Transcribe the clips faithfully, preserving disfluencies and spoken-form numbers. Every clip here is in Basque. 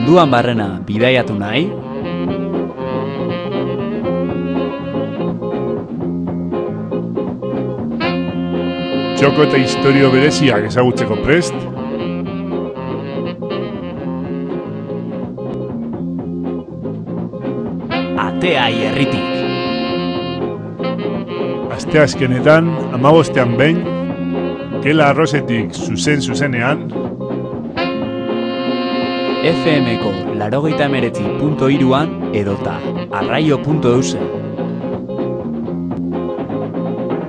munduan barrena bidaiatu nahi? Txoko eta historio bereziak ezagutzeko prest? Atea Ierritik. Asteazkenetan, hamabostean behin, Gela Arrosetik zuzen-zuzenean, F M-ko laurogeita hemeretzi puntu hiruan edota arraio puntu eusen.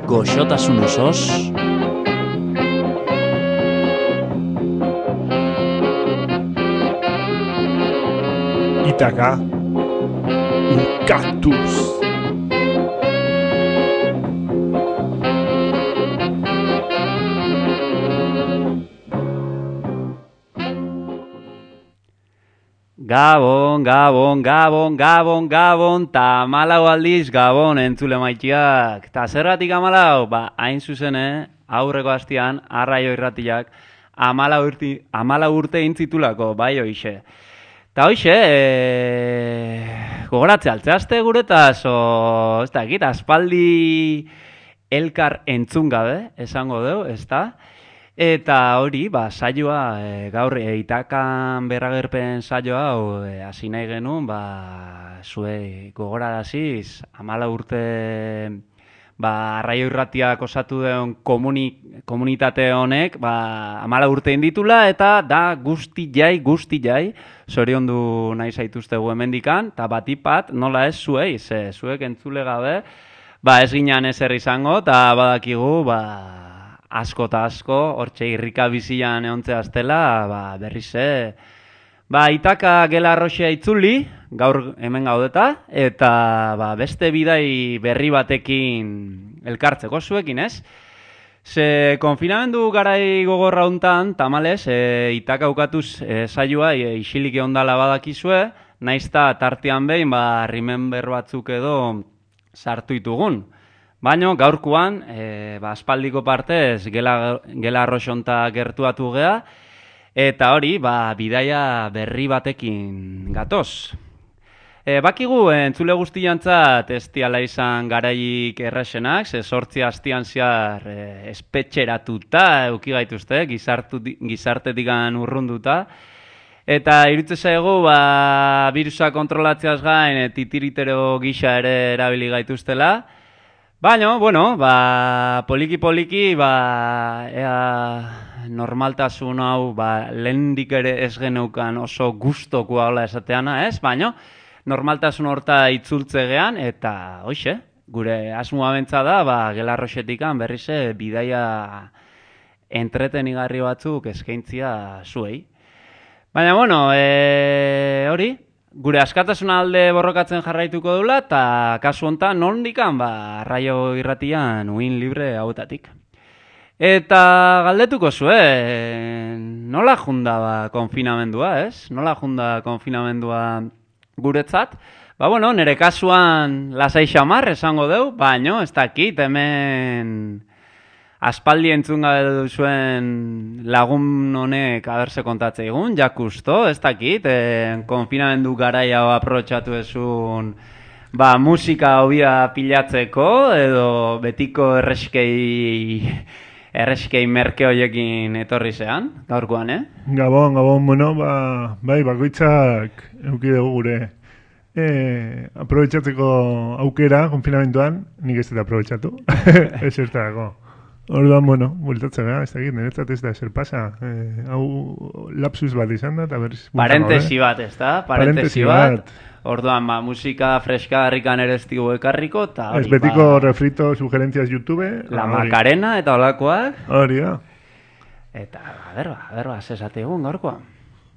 Goxotasun osoz, Itaka, un cactus. Gabon, Gabon, Gabon, Gabon, Gabon, ta amalau aldiz Gabon entzule maitiak. Ta zerratik amalau? Ba, hain zuzen, eh? Aurreko hastian, arraio irratiak, amalau urte, amalau urte intzitulako, bai hoixe. Ta hoixe, e... gogoratze altzeazte guretaz, o, ez da, egit, aspaldi elkar entzun gabe, esango deu, ez da? Eta hori, ba, saioa, e, gaur e, Itakan berragerpen saioa, hasi nahi genuen, ba, zue gogoraraziz, amala urte, ba, arraio irratiak osatu den komuni, komunitate honek, ba, amala urte inditula, eta da guzti jai, guzti jai, zoriondu nahi zaituztegu hemendikan, eta batipat, nola ez zuei, ze, zuek entzule gabe, ba, ez ginean ezer izango, eta badakigu, ba, asko eta asko, hortxe irrika bizian eontzea aztela, ba, berriz, e, ba, Itaka Gela Arroxea itzuli, gaur hemen gaudeta, eta ba, beste bidai berri batekin elkartzeko zuekin, ez? Ze konfinamendu garai gogorra hontan, tamales, e, Itaka ukatuz e, saioa e, isilik ondala badakizue, naizta tartean behin, ba, remember batzuk edo sartu itugun. Baina gaurkoan, e, ba, aspaldiko partez, Gela, Gela Arroxonta gertuatu gea, eta hori, ba, bidaia berri batekin gatoz. E, bakigu, entzule guztiantzat ez diala izan garaik erresenak, ze sortzi hastian zehar e, espetxeratuta, euki gaituzte, gizartetikan urrunduta, eta irutze zaigu, ba, virusa kontrolatzeaz gain, titiritero gisa ere erabili gaituztela. Baina, bueno, ba, poliki-poliki, ba, ea normaltasun hau, ba, lehendik ere ez geneukan oso gustokoa hola esateana, ez? Baina, normaltasun horta itzultze gean, eta, hoxe, gure asmoa bentsa da, ba, Gela Arroxetikan berrize bidaia entretenigarri batzuk eskaintzia zuei. Baina, bueno, e, hori, gure askatasun alde borrokatzen jarraituko dula, eta kasu honetan nondikan, ba, arraio irratian uin libre hauetatik. Eta galdetuko zue, nola junda ba, konfinamendua, ez? Nola junda konfinamendua guretzat? Ba, bueno, nire kasuan lasai xamar esango deu, baino, ez dakit, hemen aspaldi entzun gabe duzuen lagun honek aberse kontatze egun, jakusto, ez dakit, e, konfinamendu garaia aprotxatu ezun, ba, musika hobia pilatzeko, edo betiko erreskei, erreskei merke hoiekin etorri zean, gaurkoan, eh? Gabon, gabon, bueno, ba, bai, bakoitzak euki dugu gure. E, aprobetxatzeko aukera, konfinamentuan, nik ez dut aprobetxatu, ez zertarako. Orduan, bueno, bultatzen gara, ez dakit, niretzat ez da ezer pasa. Eh, hau lapsus bat izan da, eta berriz... Parentesi bat, ez da? Parentesi bat. Orduan, ba, musika freska harrikan ere ez digu ekarriko, eta hori, ez betiko ba, refrito sugerencias YouTube. La hori. Macarena eta olakoak. Hori da. Eta, berba, berba, zesate egun gaurkoan.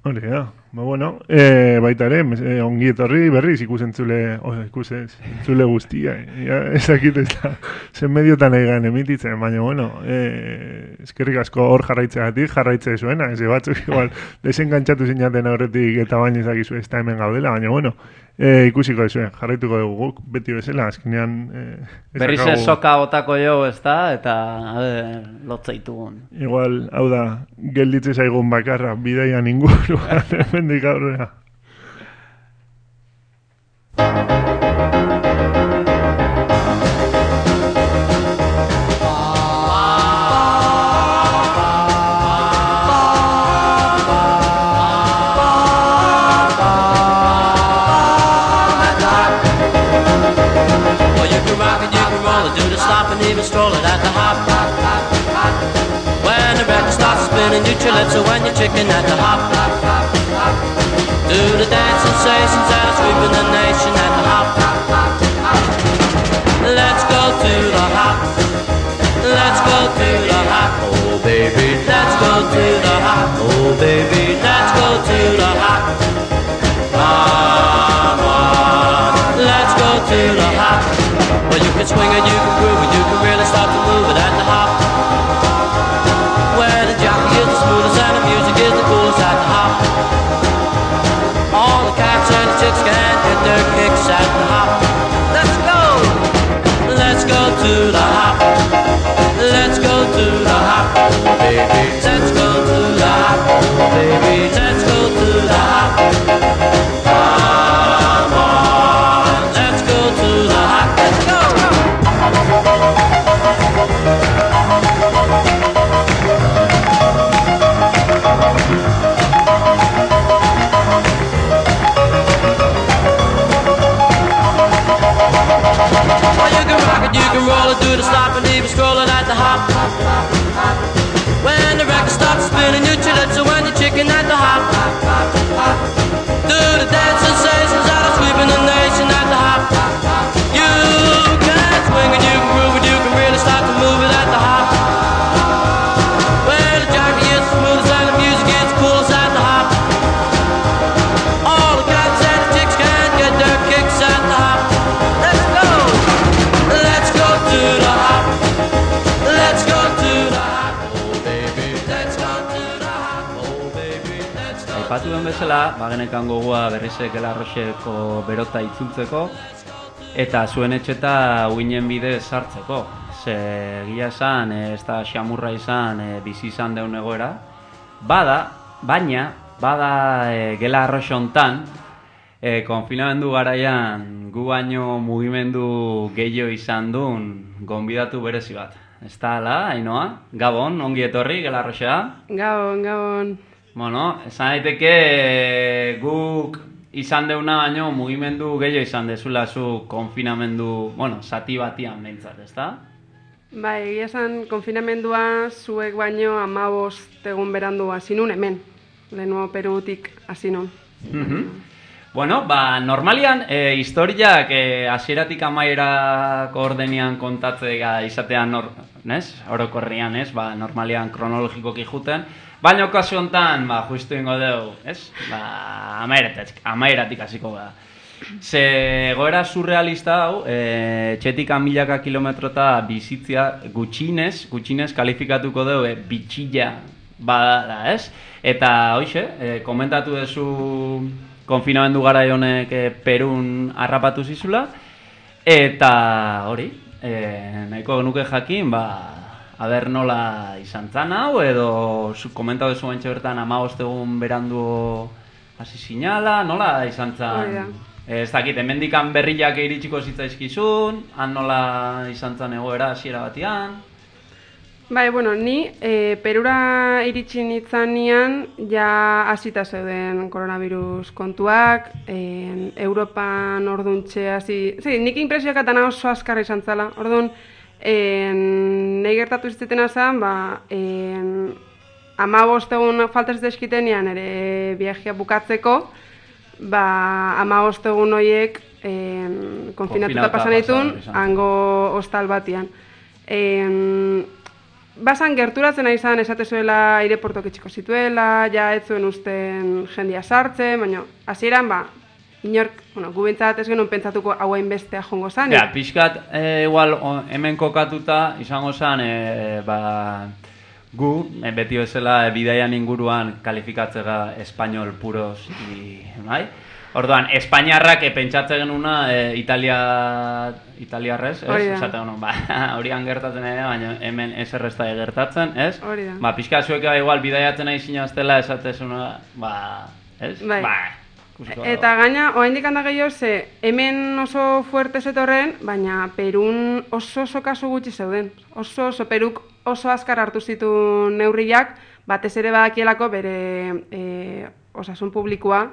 Hori da. Ba, bueno, e, baita ere, e, ongi etorri berriz ikusentzule, oh, ikusentzule guztia. Ja, ezakit ez da, zen mediotan egan emititzen, baina, bueno, e, eskerrik asko hor jarraitzeagatik, jarraitze zuena, ez batzuk igual, desengantzatu zinaten horretik eta baina ezakizu ez da hemen gaudela, baina, bueno, e, ikusiko ezuen, jarraituko dugu guk, beti bezala, azkenean... E, berriz ez soka otako jo, ez da, eta, a ber, lotzaitugun. Igual, hau da, gelditze zaigun bakarra, bidaia inguruan, hemendik aurrera. So when you're chicken at the hop, do the dance sensations that are sweeping the nation at the hop. Let's go to the hop, let's go to the hop, oh baby, let's go to the hop, oh baby, let's go to the hop. Come on, let's go to the hop. Well, you can swing it, you can groove it, you can really start to move it at the hop. Where the jockey is the smoothest and the music is the coolest at the hop. All the cats and the chicks can get their kicks at the hop. Let's go! Let's go to the hop. Let's go to the hop, oh baby. Let's go to the hop, oh baby. Let's go to the hop. Come on, let's go to the hop. Let's go! You can roll it, do the stop and even scroll it at the hop. When the record starts spinning, you chill it, so when you're chicken at the hop. Do the dance sensations that are sweeping the nation at the hop. You can swing it, you can groove it, you can really start to move it at the hop. Where the jockey is the smoothest and the music is the coolest at the hop. All the cats and the chicks can get their kicks at the hop. Let's go! Let's go to the hop. Let's go to the hop. Oh baby, let's go to the hop. Oh baby, let's go. Aipatu den bezala, bagenekan gogoa berrize Gelarroseko berota itzultzeko eta zuen etxeta uinen bidez sartzeko. Ze egia esan, ez da xamurra izan, e, bizi izan deun egoera. Bada, baina, bada e, Gelarroso hontan, E, konfinamendu garaian gu baino mugimendu gehiago izan duen gonbidatu berezi bat. Ez da, ala, Ainoa? Gabon, ongi etorri, Gelarrosea? Gabon, gabon. Bueno, esan daiteke guk izan deuna baino mugimendu gehiago izan dezula zu konfinamendu, bueno, zati batian behintzat, ez da? Bai, egia esan konfinamendua zuek baino hamabost egun berandu hasi nun hemen. Lehenengo Perutik hasi nun. Mhm. Bueno, ba, normalian, e, historiak e, hasieratik amaierako ordenian kontatzea izatean, nor, nes? Orokorrian, ez? Ba, normalian kronologikoki juten. Baina okazio honetan, ba, justu ingo dugu, ez? Ba, amaeratik, amaeratik hasiko da. Ze goera surrealista hau, e, txetik milaka kilometrota bizitzia gutxinez, gutxinez kalifikatuko dugu, e, bitxilla bada, ez? Eta, hoxe, e, komentatu duzu konfinamendu garai honek e, Perun harrapatu zizula, eta hori, e, nahiko nuke jakin, ba, aber nola izan zan hau, edo zu komentatu duzu baintxe bertan hamabost egun berandu hasi zinala, nola izan zan? E, ez dakit, hemendikan berriak iritsiko zitzaizkizun, han nola izan zan egoera hasiera batian? Bai, bueno, ni e, Perura iritsi nitzanean ja hasita zeuden koronavirus kontuak, e, Europan orduntxe hasi... Zi, nik impresioak atana oso azkarra izan zala. Orduan, e, nahi gertatu iztetena zen, ba, e, hamabost egun falta zitzaizkitenean ere viajea bukatzeko, ba, hamabost egun horiek e, konfinatuta pasan ditun, hango hostal batian. E, Basan gerturatzen ari izan esatezuela aireportok itxiko zituela, ja ez zuen usten jendia sartzen, baina hasieran ba, inork, bueno, gu bintzat ez genuen pentsatuko hauen bestea jongo zan. Ja, pixkat, e, igual, o, hemen kokatuta izango zan, e, ba, gu, e, beti bezala, e, bidaian inguruan kalifikatzega espainol puros, i, bai? Orduan, Espainiarrak e, pentsatze genuna e, Italia, Italiarrez, ez? Esaten genuen, ba, horian gertatzen ere, baina hemen ez errezta gertatzen, ez? Hori da. Ba, pixka zuek igual bidaiatzen nahi zinaztela esatezuna, ba, ez? Bai. Ba, Ikusiko Eta gaina, oraindik handa gehiago, ze hemen oso fuerte zetorren, baina Perun oso oso kasu gutxi zeuden. Oso oso Peruk oso azkar hartu zitu neurriak, batez ere badakielako bere e, osasun publikoa,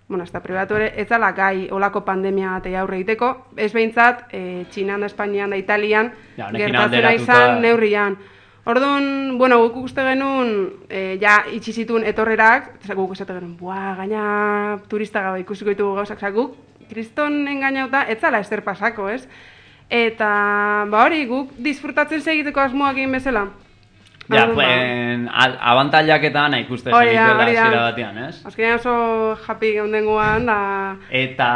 bueno, ez da pribatu ere, ez dala gai olako pandemia batei aurre egiteko, ez behintzat, e, Txinan da, Espainian da, Italian, Ja, honekin gertatzen alderatuta- izan neurrian. Orduan, bueno, guk uste genuen, e, ja, itxi zituen etorrerak, eta guk esate genuen, buah, gaina turista gabe ikusiko ditugu gauzak, oza, guk kriston engainauta, ez zala ezer pasako, ez? Eta, ba hori, guk disfrutatzen segiteko asmoak egin bezala. Ja, Orduan, ba, pues, abantailak eta ana ikuste Hori da, zenituela hori da. hasiera batean, ez? azkenean oso happy geundengoan, da... Eta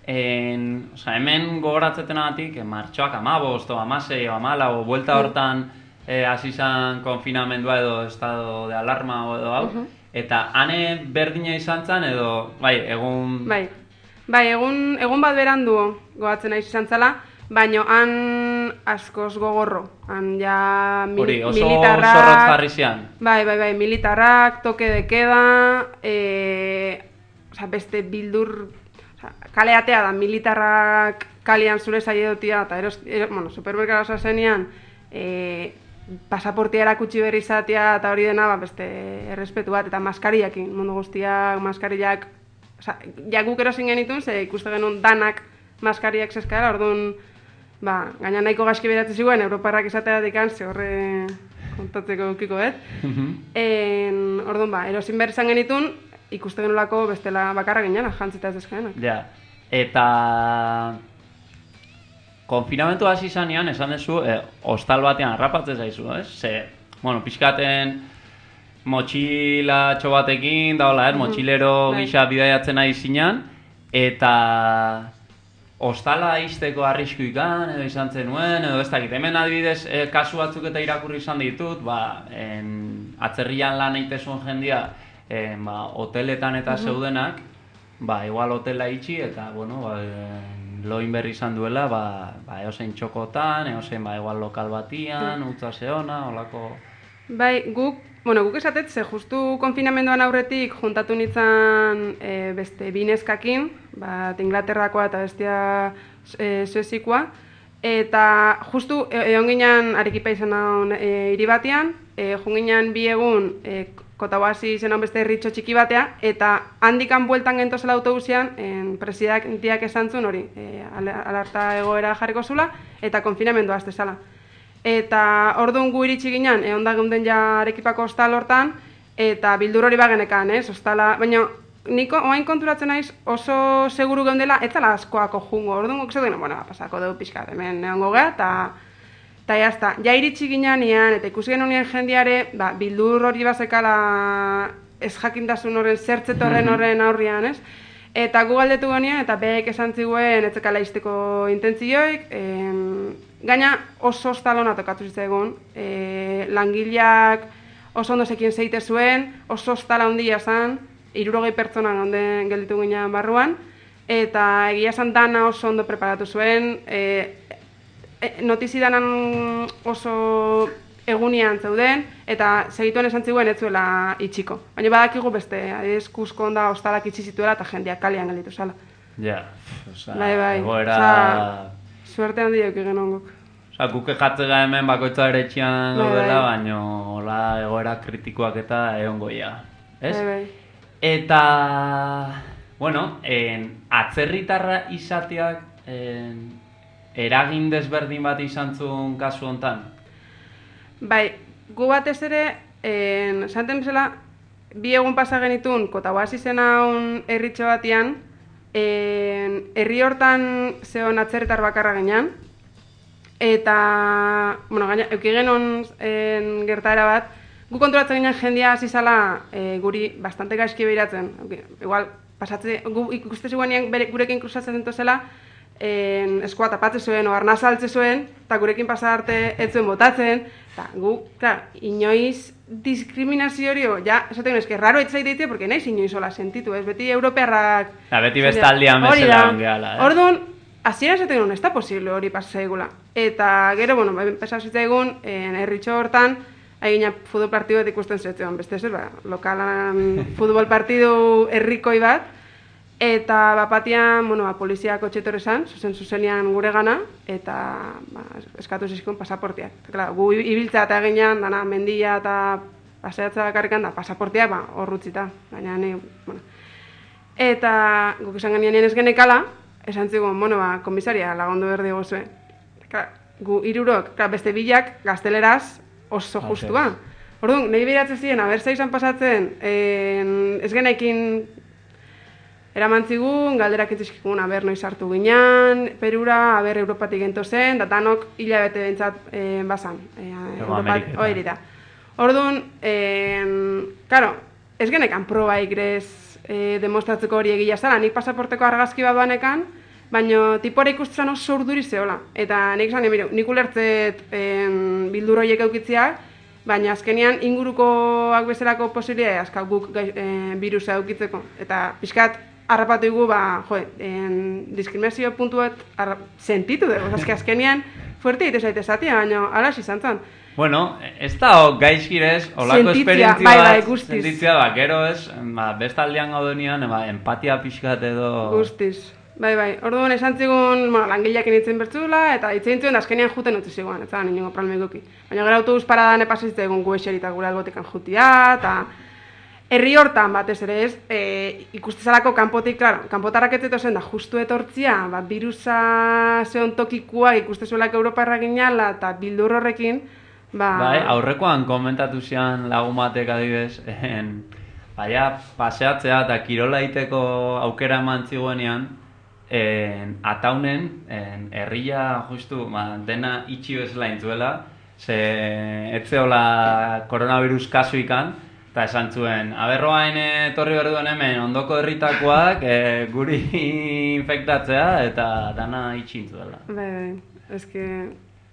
en, o sea, hemen gogoratzetenagatik, eh, martxoak amabost, o amasei, o amala, o buelta hortan eh, hasi izan konfinamendua edo estado de alarma o edo hau, eta ane berdina izan zen edo, bai, egun... Bai, bai egun, egun bat berandu gogatzen naiz izan zala, baino han askoz gogorro. Han ja mil, Hori, oso militarrak... zorrotz jarri zian. Bai, bai, bai, militarrak, toke de queda, e, oza, beste bildur... Oza, kaleatea da, militarrak kalian zure saiedotia, eta eros, eros, bueno, supermerkatu zazenean, e, pasaportia erakutsi berri izatea eta hori dena, ba, beste errespetu bat, eta maskariakin, mundu guztiak, maskariak, oza, ja guk erosin genitun, ze ikuste genuen danak maskariak zeskara, orduan, ba, gaina nahiko gaizki beratzen ziguen, Europarrak izateatik an, ze horre kontatzeko ukiko, et? En, orduan, ba, erosin behar izan genitun, ikuste genulako bestela bakarra ginean, jantzita ez dezkaenak. Ja, eta... Konfinamentu hasi zanean, esan duzu, eh, hostal batean harrapatzen zaizu, ez? Ze, bueno, pixkaten motxilatxo batekin, da hola, ez? Motxilero bai. gisa bidaiatzen nahi zinan, eta hostala izteko arrisku ikan, edo izan zenuen, edo ez dakit. Hemen adibidez, eh, kasu batzuk eta irakurri izan ditut, ba, en, atzerrian lan egitezuen jendia, en, ba, hoteletan eta zeudenak, ba, igual hotela itxi, eta, bueno, ba, en, loin berri izan duela, ba, ba eozein txokotan, eozein ba, igual lokal batian, utza zeona, holako... Bai, guk, bueno, guk esatet, ze justu konfinamenduan aurretik juntatu nintzen e, beste bineskakin, bat Inglaterrakoa eta bestia e, Suezikoa, eta justu e, egon ginen Arequipa izan naun e, hiri batean, e, joan ginen bi egun e, Kotahuasi zen beste herritxo txiki batea, eta handikan bueltan gentozela autobusian, en, presidenteak esan zuen hori, e, alerta egoera jarriko zula, eta konfinamendua azte zala. Eta orduan gu iritsi ginen, egon da geunden ja Arekipako hostal hortan, eta bildur hori bagenekan, ez, hostala, baina niko oain konturatzen naiz oso seguru geundela, ez zala askoako jungo, orduan guk zeuden, bueno, pasako dugu pixka, hemen egongo geha, eta eta jazta, ja iritsi ginean, eta ikusi genuen jendiare, ba, bildur hori bazekala ez jakintasun horren, zertzetorren horren aurrian, ez? Eta gu galdetu genean, eta behek esan ziguen etzekala izteko intentzioik, em, gaina oso ostalona tokatu zitzaigun, e, langileak oso ondo zekien zeite zuen, oso ostala handia zen, hirurogei pertsonan onden gelditu ginean barruan, eta egia esan dana oso ondo preparatu zuen, e, notizidanan oso egunian zeuden, eta segituen esan ziguen ez zuela itxiko. Baina badakigu beste, adibidez Kusko onda ostalak itxi zituela eta jendeak kalean gelditu zala. Ja, oza, Bai, bai. egoera... Oza, suerte handia euki genuen guk. Osa, guk ejatzega hemen bakoitza ere etxean Bai, gaudela, bai. baina hola egoera kritikoak eta egongo ja, ez? Bai, bai. Eta, bueno, en, atzerritarra izateak en, eragin desberdin bat izan zuen kasu hontan? Bai, gu batez ere, en, esaten bezala, bi egun pasa genitun, Kotahuasi zen haun herritxo batian, en, herri hortan zeon atzerritar bakarra ginean, eta, bueno, gaina, euki genuen en, gertaera bat, gu konturatzen ginen jendia hasi zala e, guri bastante gaizki behiratzen. Igual, pasatze, gu ikuste ziguenean bere, gurekin kruzatzen zentozela, en, eskua tapatzen zuen, o arnaz altze zuen, eta gurekin pasa arte ez zuen botatzen, eta gu, klar, inoiz diskriminazio hori, ja, esaten eske, raro ez zaiteitea, porque naiz inoiz hola sentitu, ez, beti europearrak... Ja, beti bestaldian bezala ongeala, eh? Orduan, hasiera esaten duen, ez da posible hori pasa zaigula. Eta gero, bueno, pasa zitzaigun, herritxo hortan, egina futbol partidu bat ikusten zetzen, beste ez, ba, lokalan futbol partidu herrikoi bat, Eta bapatian, bueno, ba, poliziak kotxetor esan, zuzen zuzenian gure gana, eta ba, eskatu zizkun pasaportiak. Eta, gu ibiltzea eta eginean, dana, mendia eta paseatzea bakarrikan da, pasaportiak, ba, horrutzita. Baina, ne, bueno. Eta guk esan genien ez genekala, esan zigun, bueno, ba, komisaria lagundu berdi gozue. Gu irurok, beste bilak, gazteleraz oso Okay. justua. Orduan, nahi biratzen ziren, abertza izan pasatzen, en, ez genaikin eraman zigun, galderak entzizkikun, aber noiz hartu ginean, Perura, aber Europatik gento zen, da danok hilabete bentsat e, bazan. E, Ameriketan. Hori da. Orduan, en, karo, ez genekan proba igrez e, demostratzeko hori egia zara, nik pasaporteko argazki bat banekan, baina tipora ikusten oso urduri zehola. Eta nik esan, emiru, nik ulertzet en, bildur horiek eukitziak, baina azkenean ingurukoak bezalako posibilitatea azka guk e, virusa eukitzeko. Eta pixkat, harrapatu dugu, ba, jo, en, diskriminazio puntu bat sentitu dugu. Azke azkenean, fuerte egite zaite zatia, baina alas izan zen. Bueno, ez da gaizkirez, olako Sentitzia, esperientzia bai, bai, bat, guztiz. sentitzia, ba, gero ez, ba, bestaldean gaudenean, ba, empatia pixkat edo... Guztiz. Bai, bai. Orduan esan zigun, bueno, langileak initzen bertzula, eta itzen zuen, azkenean juten utzi zigoan, ez da, ningo problemik duki. Baina gara autobus paradan epasizte egun gu eserita gure albotekan jutia, eta herri hortan batez ere ez, e, ikustezalako kanpotik, klaro, kanpotarrak ez zen da, justu etortzia, ba, virusa zeon tokikuak ikustezuelak Europa erraginala, eta bildur horrekin, ba... Bai, aurrekoan komentatu zian lagun batek adibidez, en, baina paseatzea eta kirola egiteko aukera eman zigoenean, en, ataunen, en, herria justu, ba, dena itxi bezala intzuela, ze etzeola koronavirus kasuikan, eta esan zuen, aberroain etorri behar duen hemen ondoko herritakoak e, guri infektatzea eta dana itxi intzuela. Bai, bai, eske...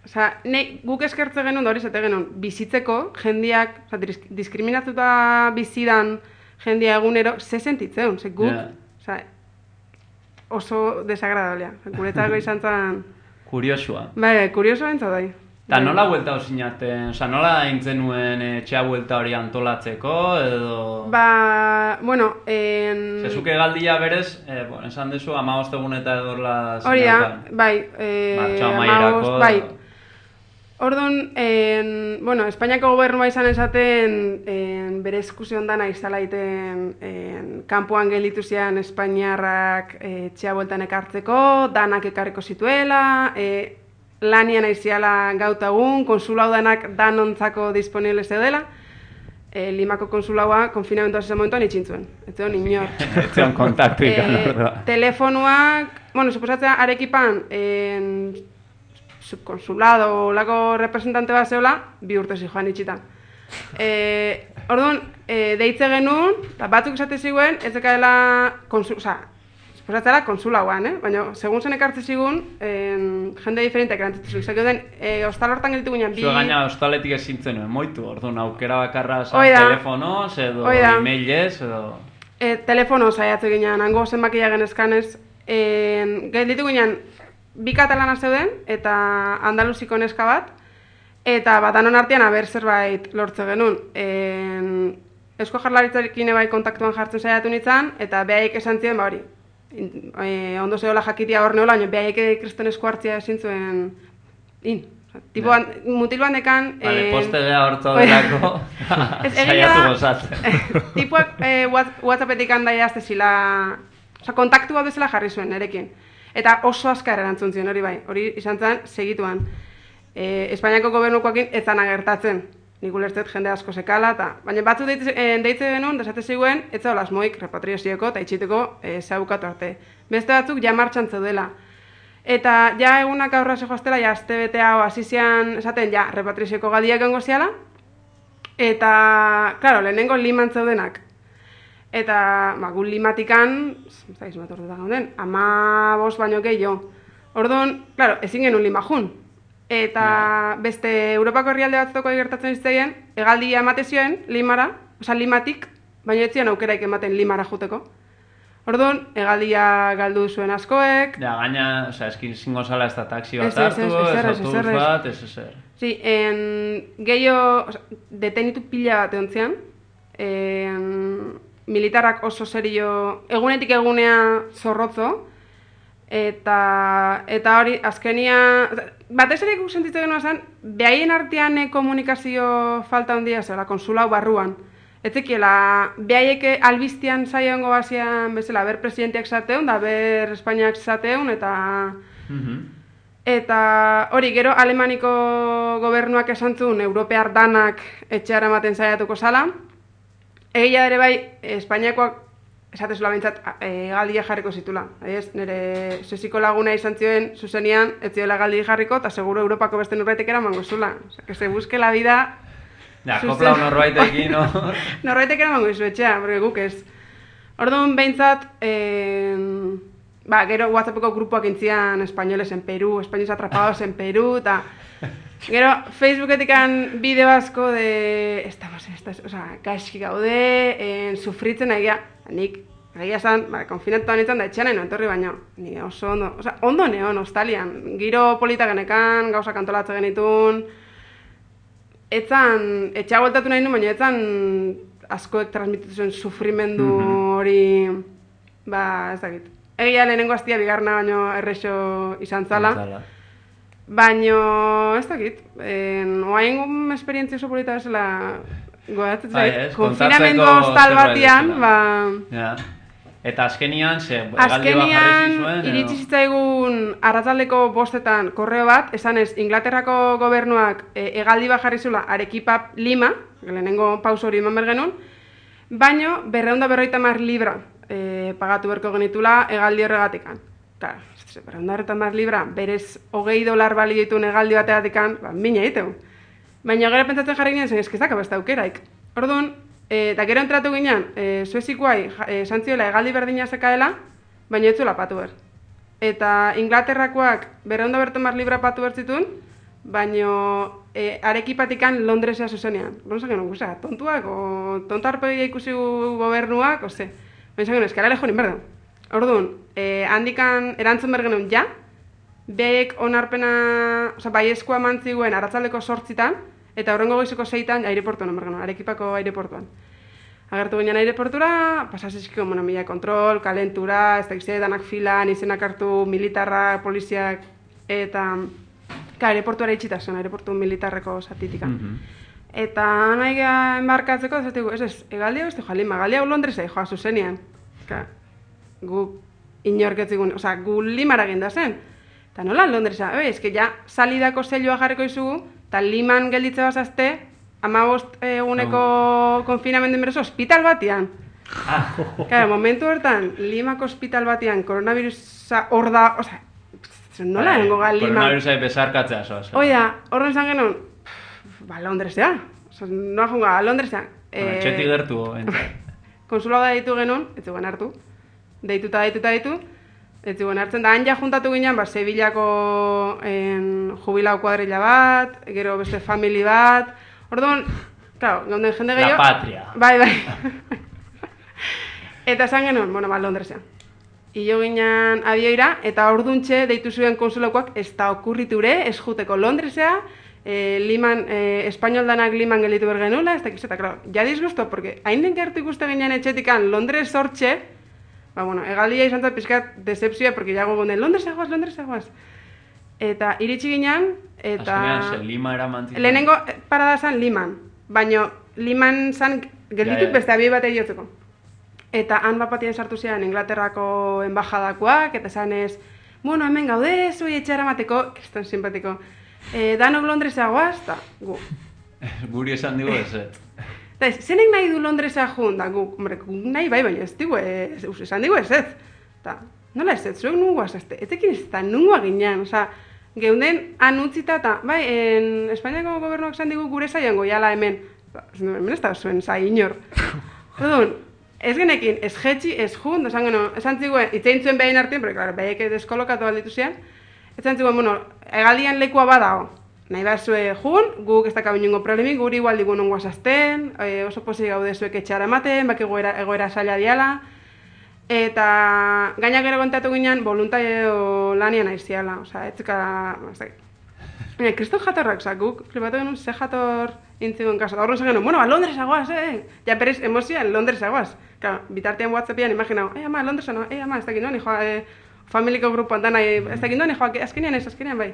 Osa, ne, guk eskertze genuen, da hori zate genuen, bizitzeko jendiak, oza, diskriminatuta bizidan jendia egunero, ze sentitzeun, ze guk, Yeah. oza, oso desagradablea. Guretzako izan zen... Kuriosua. Bai, kurioso bentsa dai. Eta nola buelta osinaten, oza, nola eintzen nuen etxea buelta hori antolatzeko, edo... Ba, bueno, en... Zezuke galdia berez, eh, bueno, esan dezu, amabost egun eta edorla Hori da, bai, eh, Martxo amaierako, hamabost, bai. Orduan, en, bueno, Espainiako gobernua izan esaten en, bere eskuzion dana izala iten en, kanpoan gelditu zian Espainiarrak e, etxea bueltan ekartzeko, danak ekarriko zituela, e, lanian aiziala gautagun, konsulau danak danontzako disponible zeudela, e, Limako konsulaua konfinamentoa zezen momentuan itxintzuen. Ez zeon inor. Ez zeon kontaktu ikan e, ordua. Telefonuak, bueno, suposatzea Arequipan, en, subkonsulado lako representante bat zeola, bi urte zijoan itxita. E, orduan, e, deitze genuen, eta batzuk esate ziguen, ez dekaela, konsul, oza, suposatzea konsulauan, eh? Baina, segun zen ekartze zigun, en, jende diferenteak erantzitu zigun. Zaki den, e, ostal hortan gelitu guinan, bi... Zue gaina ostaletik ezintzen nuen, moitu, orduan aukera bakarra zan Oida. telefonoz, edo Oida. emailez, edo... E, telefono zaiatze ginen, hango zenbakia genezkanez, en, gelitu guinan, bi katalana zeuden, eta andaluziko neska bat, eta bat anon artean aber zerbait lortze genuen. En, Eusko Jaurlaritzarekin bai kontaktuan jartzen saiatu nintzen, eta behaik esan ziren, ba hori, in, e, ondo zehola jakitia hor neola, baina behaik kriston esku hartzia ezin zuen, in. Tipo, yeah. Mutil bandekan... Vale, en, postegea hortzo delako, Ez, egia saiatu da, gozatzen. Tipuak eh, WhatsAppetik handa jazte zila, oza, kontaktu bat bezala jarri zuen nerekin. Eta oso azkar erantzun zion, hori bai, hori izan zen segituan. E, Espainiako gobernukoakin ez zan agertatzen, nik ulertzet jende asko sekala, eta baina batzu deitze, e, deitze genuen, desate ziguen, ez zau lasmoik repatriozioko eta itxiteko e, zaukatu arte. Beste batzuk ja martxan zeudela. Eta ja egunak aurra zehoaztela, ja azte bete hau hasizian esaten, ja repatriozioko galdiak gongo ziala, eta, klaro, lehenengo liman zeudenak. Eta, ba, gu limatikan, ez da izan bat ordu da gauden, ama bost baino gehiago. Orduan, klaro, ezin genuen lima jun. Eta no. Beste Europako herrialde batzutako gertatzen izteien, hegaldia emate zioen limara, oza, limatik, baina ez zion aukeraik ematen limara juteko. Orduan, hegaldia galdu zuen askoek. Ja, gaina, oza, eskin zingo zala ez da taxi bat Ez, ez, hartu, ez, ez ezer, ez, autobus ezer, ez. bat, ez ezer. Sí, en, gehiago, oza, detenitu pila bat egon zian, en, militarrak oso serio, egunetik egunea zorrotzo, eta eta hori, azkenia, batez ere guk sentitzen genuen zen, behaien artean eh, komunikazio falta handia zela, konsulau barruan. Ez zekiela, behaiek albiztian saiongo bazian bezala, ber presidenteak zateun, da ber Espainiak zateun, eta... Eta hori, gero Alemaniko gobernuak esan zuen, Europear danak etxeara ematen saiatuko zala. Egia ere bai, Espainiakoak esatezula bintzat galdia jarriko zitula. Ez, nire sesiko laguna izan zioen zuzenian, ez zioela galdi jarriko, eta seguro Europako beste norbaitek eramango zula. Osa, que se busque la vida... Ja, koplau norbaitekin, no? Norbaitek eramango izu etxea, porque guk ez. Orduan behintzat, eh, ba, gero WhatsAppeko grupoak intzian españoles en Perú, españoles atrapados en Perú, eta gero Facebooketikan bideo asko de... Estamos en estas... Osa, gaizki gaude, en, sufritzen egia, nik, egia esan, ba, konfinatuan nintzen da etxean nahi entorri baino. Ni oso ondo, osa, ondo neon, ostalian. Giro polita genekan, gauzak antolatze genitun. Etzan, etxea bueltatu nahi nuen, baina etzan askoek transmititu zuen sufrimendu hori, ba, ez dakit. Egia lehenengo hastia bigarna baino errexo izan zala. Baino, ez dakit, oain esperientzia oso polita bezala goatzen zait. Konfinamendu hostal batian, ba... Ja. Eta azkenian, ze, egaldi bat jarri zizuen? Azkenian, iritsi zitzaigun arratsaldeko bostetan korreo bat, esanez, Inglaterrako gobernuak e, egaldi bat jarri zula Arequipa Lima, lehenengo pauso hori eman bergenun, baino berreunda berroita mar libra e, pagatu berko genitula egaldi horregatikan. Claro, berreunda berroita mar libra, berez hogei dolar bali dituen egaldi bateatikan, ba, mina egiteu. Baina gero pentsatzen jarri ginen zen, eskizak beste aukeraik. Orduan, eta gero entratu ginean, e, Suezikoai esan ziola egaldi berdina zekaela, baina ez zuela patu ber. Eta Inglaterrakoak berreunda berroita mar libra patu bertzitun, baina e, Arekipatikan Londresea zuzenean. Gero zaken, guza, tontuak, o tontarpegia ikusi gobernuak, ose. Baina zaken, eskara lejo ninberda. Orduan, e, handikan erantzun bergenuen ja, behek onarpena, oza, baiezkoa mantziguen arratsaldeko sortzitan, eta horrengo goizeko zeitan aireportuan, bergenuen, Arekipako aireportuan. Agertu ginen aireportura, pasazizko, bueno, mila kontrol, kalentura, ez da gizte, danak filan, izenak hartu militarra, poliziak, eta ka, aireportuara itxita zen, aireportu militarreko zatitika. Mm -hmm. Eta nahi enbarkatzeko, ez ez, ez, egaldi hau ez joa Lima, egaldi hau Londresa joa zuzenian. Ka, gu inorketzigun, oza, gu Limara ginda zen. Eta nola Londresa, ebe, ez que ja salidako zelioa jarriko izugu, eta Liman gelditze bazazte, hamabost eguneko no. konfinamendu inberso hospital batian. Ah. Claro, momentu hortan, Limako hospital batian koronavirusa hor da, oza, nola nengo ga Lima. Koronavirusa bezarkatzea, zoaz. Oia, horren zan genuen, ba, Londresea, oza, noa junga, Londresea. Txetik gertu, entzat. Konsulado deitu genuen, ez zuen hartu, deituta, deituta, deitu, ez zuen hartzen, da han ja juntatu ginen, ba, Sevillako en, jubilau kuadrilla bat, gero beste family bat, orduan, claro, gaunden jende gehiago... La patria. Bai, bai. Eta esan genuen, bueno, ba, Londresea. Ilo ginen abioira, eta orduntxe deitu zuen konsulakoak ez da okurriture, ez juteko Londresea, eh, Liman, eh, espainol danak Liman gelditu bergenula, ez da kizeta, claro, ja disgusto, porque hain den gertu ikuste ginen etxetikan Londres sortxe, ba, bueno, egaldia izan zat pizkat decepzioa, porque ja gogonden, Londresea goaz, Londresea goaz. Eta iritsi ginen, eta... Azkenean, ze Lima era mantitzen. Lehenengo parada zan Liman, baina Liman zan geldituk ja, ja. beste abioi bat egiotzeko. Eta han bapatien sartu zian Inglaterrako embajadakoak, eta zan ez, bueno, hemen gaude, zui etxera mateko, kriston simpatiko, e, danok Londresea goaz, eta gu. Guri esan digo ez, ez. Eta ez, zenek nahi du Londresea jun, da gu, hombre, gu nahi bai, baina ez digu ez, esan digu ez ez. Eta, nola ez ez, zuek nungoa zazte, ez ekin ez eta nungoa ginean, oza, geunden han utzita eta, bai, en Espainiako gobernuak esan digu gure zaiango, jala hemen, hemen ez da zuen zai inor. Odun, ez genekin, ez jetxi, ez jun, esan geno, esan ziguen, itzein zuen behin artien, porque, claro, behiek deskolokatu alditu zian, esan ziguen, bueno, egaldian lekua badao, nahi behar zue jun, guk ez dakabin niongo problemik, guri igual digun ongo azazten, e, oso posi gaude zuek etxara ematen, bak egoera, egoera saila diala, eta gaina gero kontatu ginen voluntario lanian aiziala, oza, etzika, ez dakit. Baina, kriston jatorrak, oza, guk, flipatu genuen, ze jator intzidun kaso. Da horren zen bueno, ba, Londres agoaz, eh? Ja, berez, emozioan, Londres agoaz. Claro, bitartean WhatsAppian imaginau, eh, ama, Londres no, eh, ama, ez dakit noan, joa, eh, familiko grupoan dana, ez dakit noan, joa, azkenean ez, azkenean bai.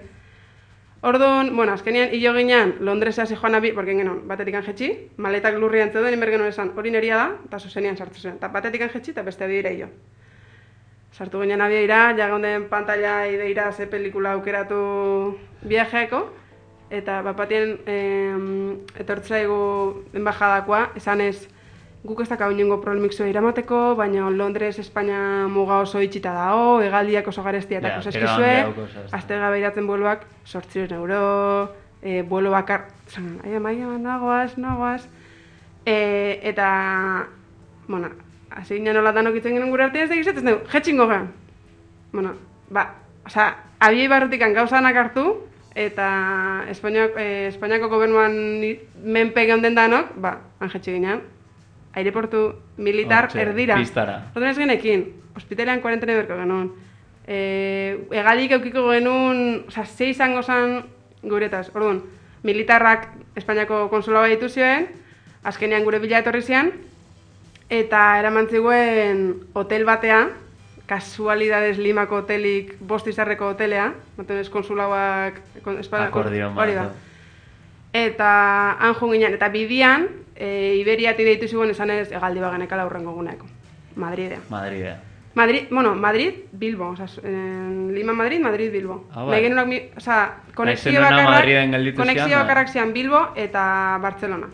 Orduan, bueno, azkenean hilo ginean Londresa hasi joan abi, porque genuen, batetik anjetxi, maletak lurrian zeuden, inber genuen esan, hori neria da, eta zuzenian sartu zen. Eta batetik anjetxi, eta beste adira hilo. Sartu ginen abia ira, ja gaunden pantalla ideira ze pelikula aukeratu viajeako, eta bapatien eh, etortzaigu enbajadakoa, esan ez, guk ez dakau inongo problemik zua iramateko, baina Londres, Espainia muga oso itxita dao, hegaldiak oso garestia eta yeah, eskizue, azte gabeiratzen bueloak, sortziren euro, e, buelo bakar, zan, aia, maia, nagoaz, nagoaz, e, eta, bueno, hasi ginen nolatan okitzen ginen gure artean ez dakiz, ez dugu, jetxingo gehan. Bueno, ba, oza, abiei barrutikan gauzanak hartu, eta Espainiako, eh, Espainiako gobernuan menpe geunden danok, ba, anjetxi ginen, aireportu militar oh, erdira. Pistara. Orduan ez genekin, hospitalean kuarentena berko genuen. E, egalik eukiko genuen, oza, zei izango zen guretaz. Orduan, militarrak Espainiako konsulaba dituzioen, azkenean gure bila etorri zian, eta eraman ziguen hotel batea, kasualidades Limako hotelik, bost izarreko hotelea, matenez konsulauak... Akordion bat. Eta han jo ginen, eta bidian, e, Iberiati deitu zuen esan ez egaldi bagenekala hurrengo guneako. Madridea. Madridea. Madrid, bueno, Madrid, Bilbo. Oza, en Lima, Madrid, Madrid, Bilbo. Ah, bai. Genunak, oza, konexio bakarrak, konexio bakarrak zian Bilbo eta Barcelona.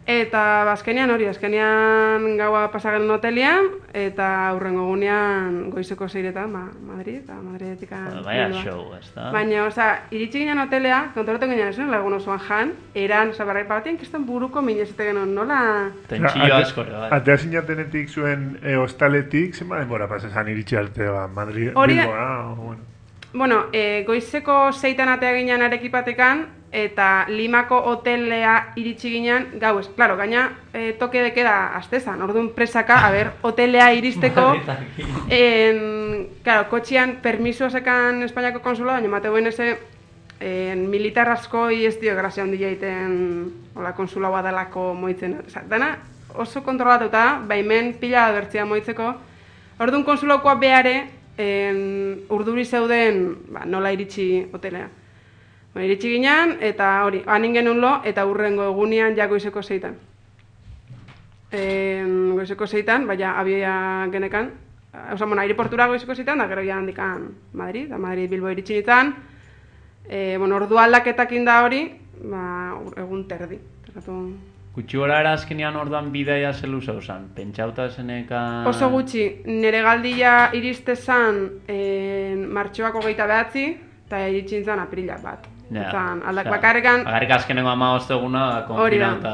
Eta azkenean hori, azkenean gaua pasagen hotelian, eta aurrengo gunean goizeko zeiretan, ba, Madrid, eta Madridetika... Baina show, ez da? Baina, oza, iritsi ginen hotelea, kontoratu ginen esan, lagun osoan jan, eran, oza, barrai batien, kistan buruko minezete genuen, nola... Tentsio askore, bai. Atea zinatenetik zuen e, hostaletik, zenba denbora pasesan iritsi arte, ba, Madrid, Hori, Bilbo, ah, bueno. Bueno, e, goizeko zeitan atea ginen arekipatekan, eta Limako hotelea iritsi ginen gauez. Claro, gaina e, toke de queda astezan, orduan presaka, a ber, hotelea iristeko, en, claro, kotxian permiso sekan Espainiako konsula, baina mateuen eze en, militar askoi ez dio grazia handia egiten hola konsula badalako moitzen. Osa, dana oso kontrolatuta, baimen pila abertzia moitzeko, orduan konsulaukoa beare, en, urduri zeuden ba, nola iritsi hotelea. Ba, iritsi ginen, eta hori, hanin genuen lo, eta hurrengo egunean ja goizeko zeitan. E, goizeko zeitan, baina abia genekan, oza, bueno, aireportura goizeko zeitan, da gero ja handikan Madrid, da Madrid Bilbo iritsi nintzen, e, bueno, ordu aldaketakin da hori, ba, egun terdi. Terratu... Gutxi gora era azkenean orduan bidaia zelu zauzan, pentsauta zenekan... Oso gutxi, nire galdia iriste zan e, martxoako geita behatzi, eta iritsi nintzen aprila bat. Ja, Zan, aldak bakarrikan... Bakarrik azkenengo ama osteguna, konfinau eta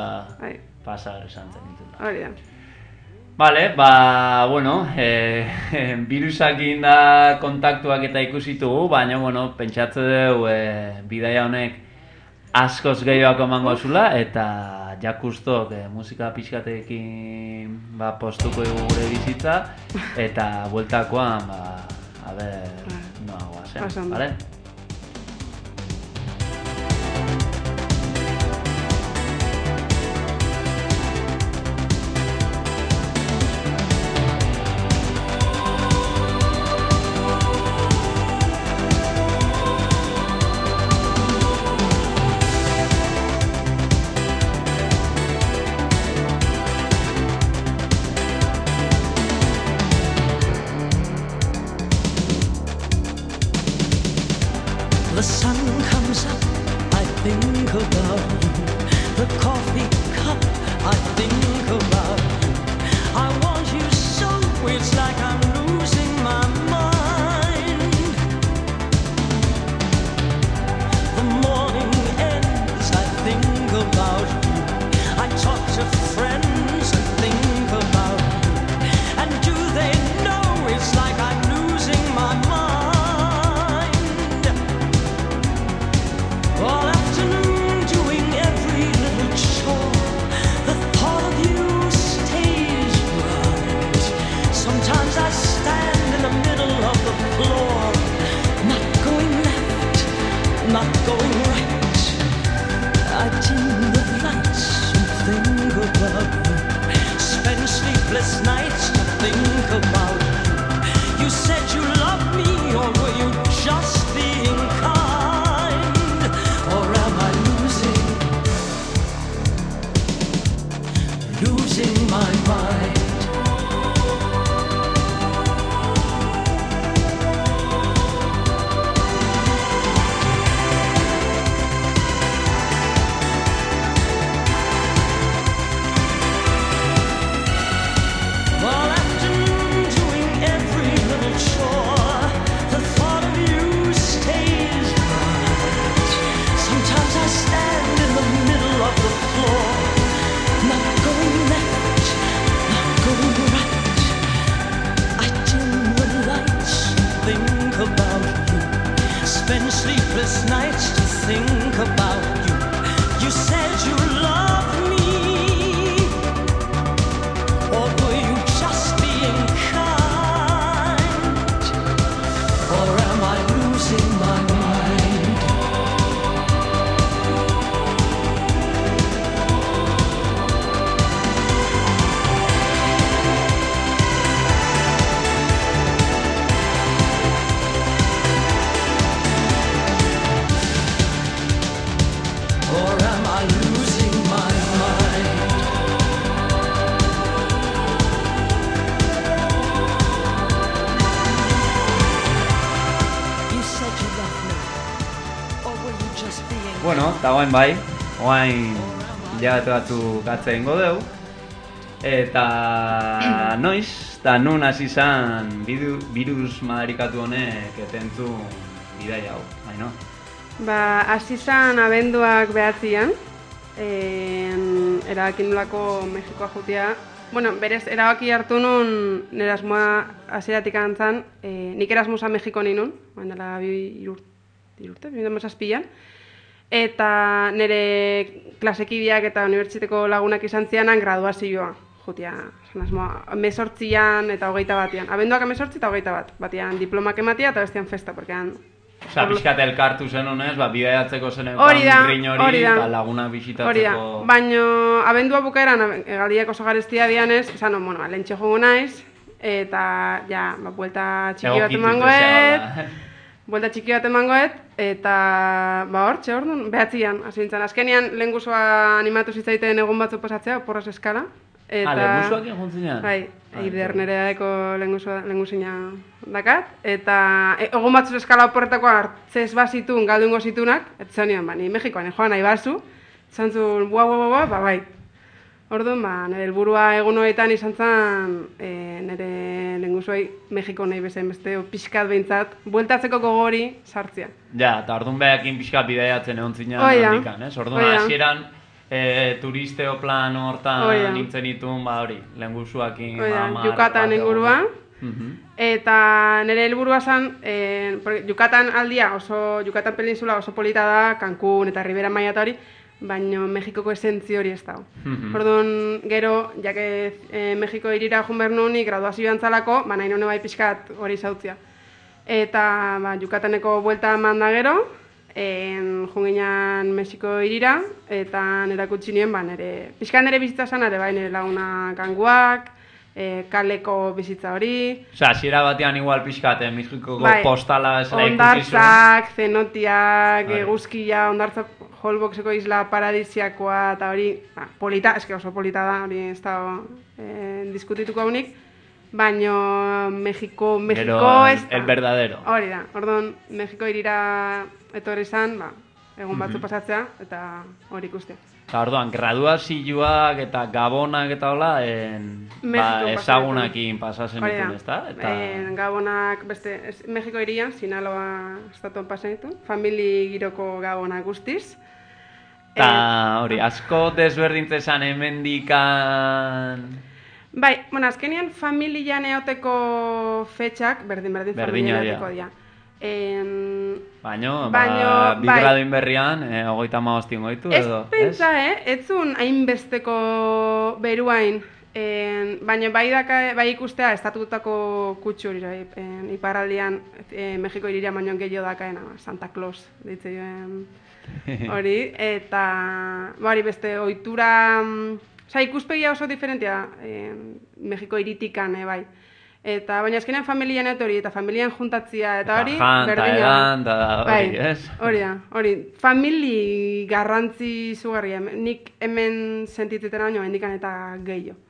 pasar esan zen nintzen. Hori da. Vale, ba, bueno, eh, virusakin da kontaktuak eta ikusitugu, baina, bueno, pentsatze dugu eh, bidaia honek askoz gehiago emango zula, eta jakustok eh, musika pixkatekin ba, postuko dugu gure bizitza, eta bueltakoan, ba, a ber, noa guazen, vale? The sun comes up, I think about the coffee cup, I think about I want you so, it's like I'm losing my mind. The morning ends, I think about you, I talk to friends and think about you, and do they know it's like I'm losing my mind. All afternoon doing every little chore, the thought of you stays right. Sometimes I You said you loved me, or were you just being kind? Or am I losing, losing my mind? Well, after doing every little chore, the thought of you stays bright. Sometimes I stand in the middle of the floor, not going left, not going right. I dim the lights and think about you, spend sleepless nights to think about you. You said you loved me, or were you just being kind? Or am I losing my mind? Or am I losing my mind? You said you loved me, or were you just being Bueno, eta guain bai, guain hilabete batzu gatze ingo deu. Eta noiz, eta nun hasi izan bidu, virus madarikatu honek etentzu bidai hau, baino. Ba, hasi izan abenduak behatzian, en, erabaki nolako Mexikoa jutia. Bueno, berez, erabaki hartu nun nire asmoa hasieratik antzan, e, nik Erasmusa Mexiko ninun, baina bi irurte, irurte, bi mila zazpian, eta nire klasekideak eta unibertsitateko lagunak izan zianan graduazioa jutia. Esan asmoa, hemezortzian eta hogeita batian. Abenduak hemezortzi eta hogeita bat. Batian diplomak ematia eta bestian festa, porkean Osa, pixkat elkartu zen honez, ba, bidaiatzeko zen Hori da, grin hori, hori da. eta lagunak Hori da, bisitatzeko... baino abendua bukaeran egaldiak oso garestia dianez, esan, bueno, lentxe jogo naiz, eta, ja, ba, buelta txiki bat Egokitu emangoet, zezea, buelta txiki bat emangoet, eta, ba, hor, txe hor duen, behatzian, hasi nintzen. Azkenian, lehen guzua animatu zitzaiten egun batzu pasatzea, porras eskala, eta... Ah, lehen guzuak egon zinean? Bai, Ah, eider nereako lehen guzina dakat, eta e, egun batzuz eskala oporretako hartzez bazitun, galdungo zitunak, eta zan nian, ba, ni Mexikoan joan nahi bazu, zan zuen, bua, bua, bua, ba, bai. Orduan, ba, nire helburua egun horietan izan zen, e, nire lehen guzuai Mexiko nahi bezain beste, o, pixkat behintzat, bueltatzeko gogori sartzea. Ja, eta orduan behakin pixka bidaiatzen egon zinean Hori da. handikan, ez? Orduan Hori da. hasieran e, turisteo plan Hori hortan da. nintzen itun, ba hori, lehen guzuakin... Hori da, hamar, Yucatan bat ingurua. Mhm. Eta nire helburua zen, eh, porque Yucatan aldia oso, Yucatan peninsula oso polita da, Cancún eta Ribera Maya eta hori, baina Mexikoko esentzi hori ez dago. Mhm. Orduan, gero, jake eh, Mexiko irira joan behar nunik graduazioan zalako, ba nahi nune bai pixkat hori zautzia. Eta ba, Yucataneko buelta eman da gero, en, junginan Mexiko irira, eta nire kutsi nien, ba, nire, pixkat nire bizitza zen, ere bai nire laguna kanguak, e, kaleko bizitza hori, Osa, hasiera batean igual pixkat, eh, Mexikoko Bai, postala esela ikusi zuen. hondartzak, zenotiak, Bai. eguzkia, hondartza Holboxeko isla paradisiakoa eta hori, ba, polita, eske oso polita da, hori ez da eh, diskutituko haunik, baino Mexiko, Mexiko Gero, ez da. el verdadero. Hori da, orduan, Mexiko irira etorri zan, ba, egun batzu Mhm. pasatzea, eta hori ikustea. Eta orduan, graduazioak eta gabonak eta hola, en, ba, Mexikon ezagunakin pasazen Hori da, ditun, ezta? Eta... en, Gabonak beste, ez, Mexiko irian, Sinaloa estatuan pasan ditu, famili giroko Gabonak guztiz. Eta hori, asko desberdintzezan hemendikan... Bai, bueno, azkenean familian eoteko fetxak, berdin, berdin, Berdina familian dira. eoteko dira. En... Baino, Baino, ba, bi bai. graduin berrian, eh, hogeita hamabostin goitu Ez edo, pentsa, eh? Ez zuen hainbesteko beruain, en, baina bai, daka, bai ikustea estatutako kutsu hori, bai, en, iparraldian e, Mexiko iriria baino gehiago dakaena, Santa Claus, ditze joen hori, eta ba, hori beste ohitura, mm, osea, ikuspegia oso diferentea eh, Mexiko iritikan, eh, bai. Eta, baina azkenean familien etori, eta familien juntatzia, eta hori, Jan, eta berdina. edan, eta hori, Bai, ez? hori da, hori. Famili garrantzi zugarria. Nik hemen sentitzeten baino, hendikan eta gehiago.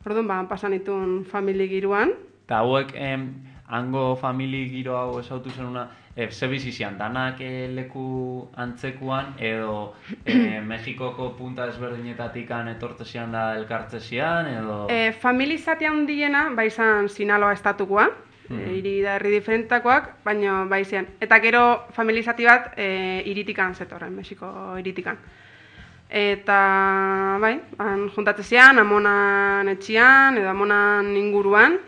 Orduan, ba, pasan itun famili giroan. Eta hauek, em, hango famili giro hau esautu zenuna, e, ze bizizian, danak e, leku antzekuan, edo e, Mexikoko punta ezberdinetatikan etortzezian da elkartzezian, edo... E, famili zati handiena, ba izan Sinaloa estatukoa, Mhm. e, hiri da herri diferentakoak, baina ba izan. Eta gero famili zati bat e, iritikan zetorren, Mexiko iritikan. Eta, bai, han juntatzezian, amonan etxian, edo amonan inguruan.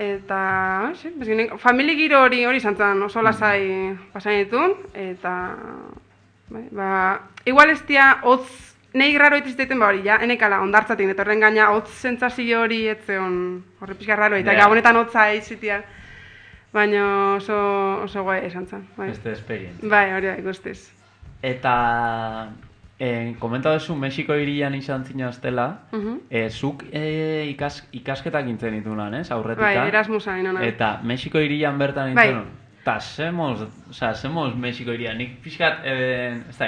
Eta, sí, bezkenek, famili giro hori hori izan zen, oso lasai pasain ditun, eta, bai, ba, igual ez dia, hotz, nahi raro itizteiten, ba hori, ja, enekala, ondartzatik, eta horren gaina, hotz sentsazio hori etzeon, horre pixka raro, eta Yeah. gabonetan hotza izitia, baina oso, oso guai esan zen, bai. Beste esperientzia. Bai, hori da, ikustiz. Eta, eh, komentatu duzu Mexiko hirian izan zinaztela, Mhm. eh, zuk eh, ikas, ikasketak intzen ditunan, ez, aurretika? Bai, Erasmusa inona. Eta Mexiko hirian bertan Bai. intzen, eta semos, oza, semos Mexiko hirian, nik pixkat, eh, ez da,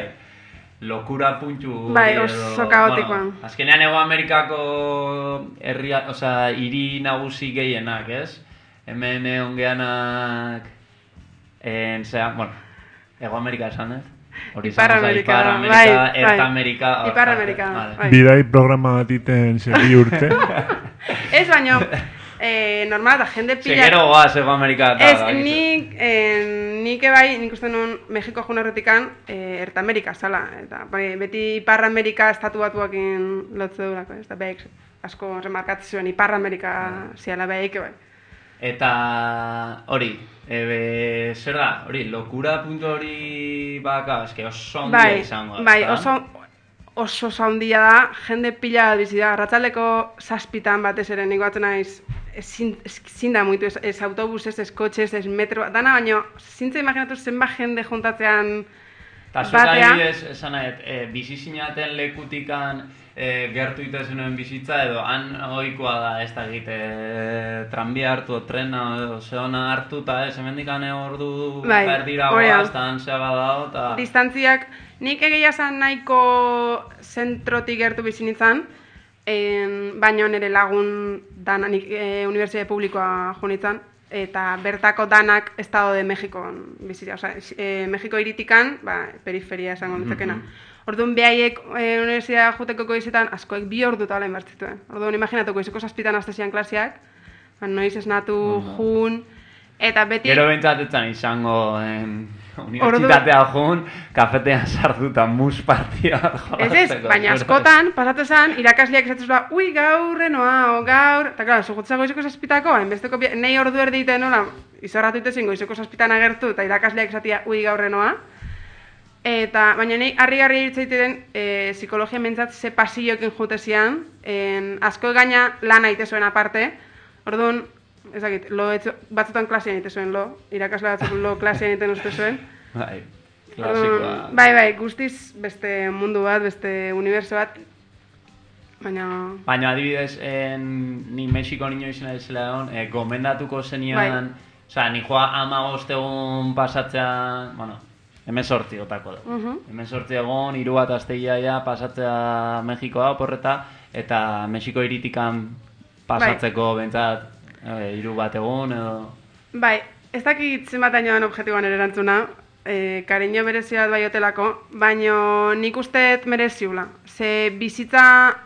lokura puntu Bai, hori oso kaotikoan. Bueno, azkenean Ego Amerikako herria, oza, hiri nagusi gehienak, ez? Hemen egon geanak, en, zera, bueno, Ego Amerika esan, ez? Hori Ipar izango zen, Amerika, Ipar bai, Amerika, bai. Erta Amerika. hor- Ipar Amerika, vale. bai. Bidai programa bat iten segi urte. Ez baino, eh, normal da, jende pila... Segero goaz Ego Amerika. eta Ez, bakizu. nik, eh, nik ebai, nik uste nun Mexiko joan horretikan, eh, Erta Amerika, zala. Eta bai, beti Ipar Amerika estatu batuakin lotze durako, ez da behik asko remarkatzen zuen Ipar Amerika ziala behik, bai. Eta hori, ebe, zer da, hori, lokura puntu hori baka, eske oso handia Bai, izango da. bai, ezta? oso, oso oso handia da, jende pila bat bizi da, arratsaldeko zazpitan batez ere, nik batzen naiz, ezin ezin da muitu, ez, ez autobus, ez, ez kotxez, ez metro, dana baino, zintza imaginatu zenbat jende juntatzean Eta zuk batea. adibidez, esan nahet, e, bizi zinaten lekutikan e, gertu itezenuen bizitza, edo han ohikoa da ez da egite tranbia hartu, trena, edo zehona hartu, eta ez, hemendikan ordu Bai, berdira hori da. goaz, eta han zeba dago, eta... Distantziak, nik egia zan nahiko zentrotik gertu bizi nintzen, en, baino nire lagun dana, nik e, unibertsitate publikoa jo nintzen, eta bertako danak Estado de Mexikon bizitzea, osea, e, Mexiko iritikan, ba, periferia esango litzakena. Orduan behaiek e, unibertsitate juteko goizetan askoek bi ordu eta hola inbertzituen. Orduan imaginatuko izeko zazpitan hastezian klaseak, ba, noiz esnatu, jun, eta beti... Gero bentsatetzen izango en, unibertsitatea jun, kafetean sartu eta mus partia Ez ez, baina askotan, pasatzen zen, irakasleak esatzen zuen, ui, gaur renoa, o gaur... Eta, klaro, zugutza goizeko zazpitako, hainbesteko, bi- nahi ordu erdite nola, izorratu itezen goizeko zazpitan agertu, eta irakasleak esatia, ui, gaur renoa. Eta, baina nahi, harri-garri irtzaiteten, e, psikologia mentzat ze pasillokin jutezian, en, asko gaina lan aite zuen aparte, orduan, ez dakit, lo etzo, batzutan klasean ite zuen lo, irakasle batzuk lo klasean iten uste zuen. Bai, Orduan, klasikoa. bai, bai, guztiz beste mundu bat, beste uniberso bat, baina... Baina adibidez, en, ni Mexiko niño izena izela egon, e, gomendatuko zenian, Bai. osea, ni joa hamabost egun pasatzea, bueno, hemen sortzi otako da. Mhm. Hemen sortzi egon, hiru bat astegia ja pasatzea Mexikoa oporreta, eta Mexiko iritikan pasatzeko bentsat e, hiru bat egun edo... Bai, ez dakit zenbat ainoan objektiboan ere erantzuna, e, kariño berezi bat bai hotelako, baino nik usteet mereziula. Ze bizitza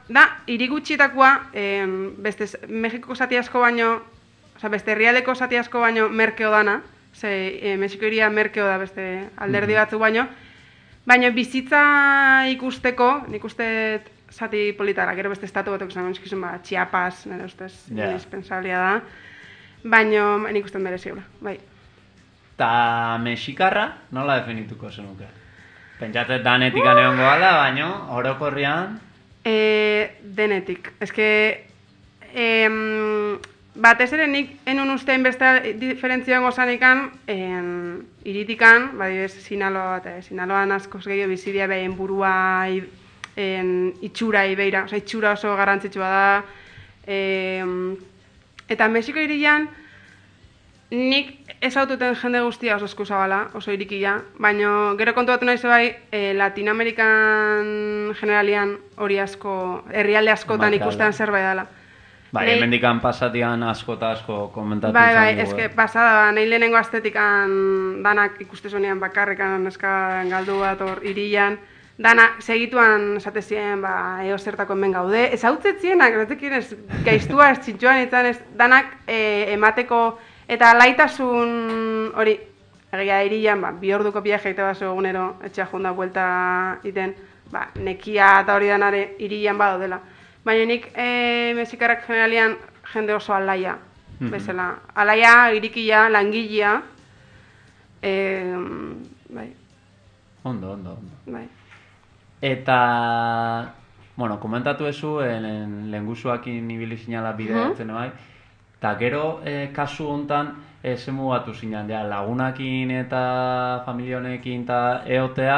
da, hiri gutxietakoa, em, beste Mexikoko zati asko baino, osea, beste herrialdeko zati asko baino merkeo dana, ze e, Mexiko hiria merkeo da beste alderdi batzuk baino, baina bizitza ikusteko, nik usteet zati politara, gero beste estatu batzuk zango eskizun, ba, Chiapas, nire ustez, Ja. indispensablia da, baina nik usteet mereziula, bai. Ta mexikarra nola definituko zenuke? Pentsatzen danetik aneongo gala, baino, orokorrian... E, denetik. Ez que, em, batez ere nik enun ustein beste diferentzioan gozanikan, en, iritikan, badibez, Sinaloa bat, Sinaloan askoz gehiago bizidia behin burua, i- en, itxura ibeira, oza, itxura oso garrantzitsua da, em, Eta Mexiko hirian, nik ezaututen jende guztia oso eskuzabala, oso irikia, baina gero kontu batu nahi bai, e, Latinoamerikan generalian hori asko, herrialde askotan Bai, ikustean claro. zerbait dela. Bai, Nei- hemendikan pasatian asko eta asko komentatu Bai, izan bai, dugu, eske eh. pasada, nahi lehenengo aztetikan danak ikustezunean bakarrikan neska galdu bat hor irian, dana segituan esate ziren, ba, eo zertako hemen gaude, ez hau zetzienak, retekin ez gaiztua, ez txintxoan izan, ez danak e, emateko, eta laitasun hori, egia irian, ba, bi orduko viaje egite baso egunero, etxea junda buelta iten, ba, nekia eta hori danare irian badaudela. Baina nik e, mexikarrak generalian jende oso alaia, Mhm. bezala. Alaia, irikia, langilea, e, bai, Ondo, ondo, ondo. bai. Eta, bueno, komentatu ezu, en, lengusuakin ibili zinala bideatzen bai, eta gero eh, kasu hontan eh, zemugatu zinan, ja, lagunakin eta familia honekin eta eotea,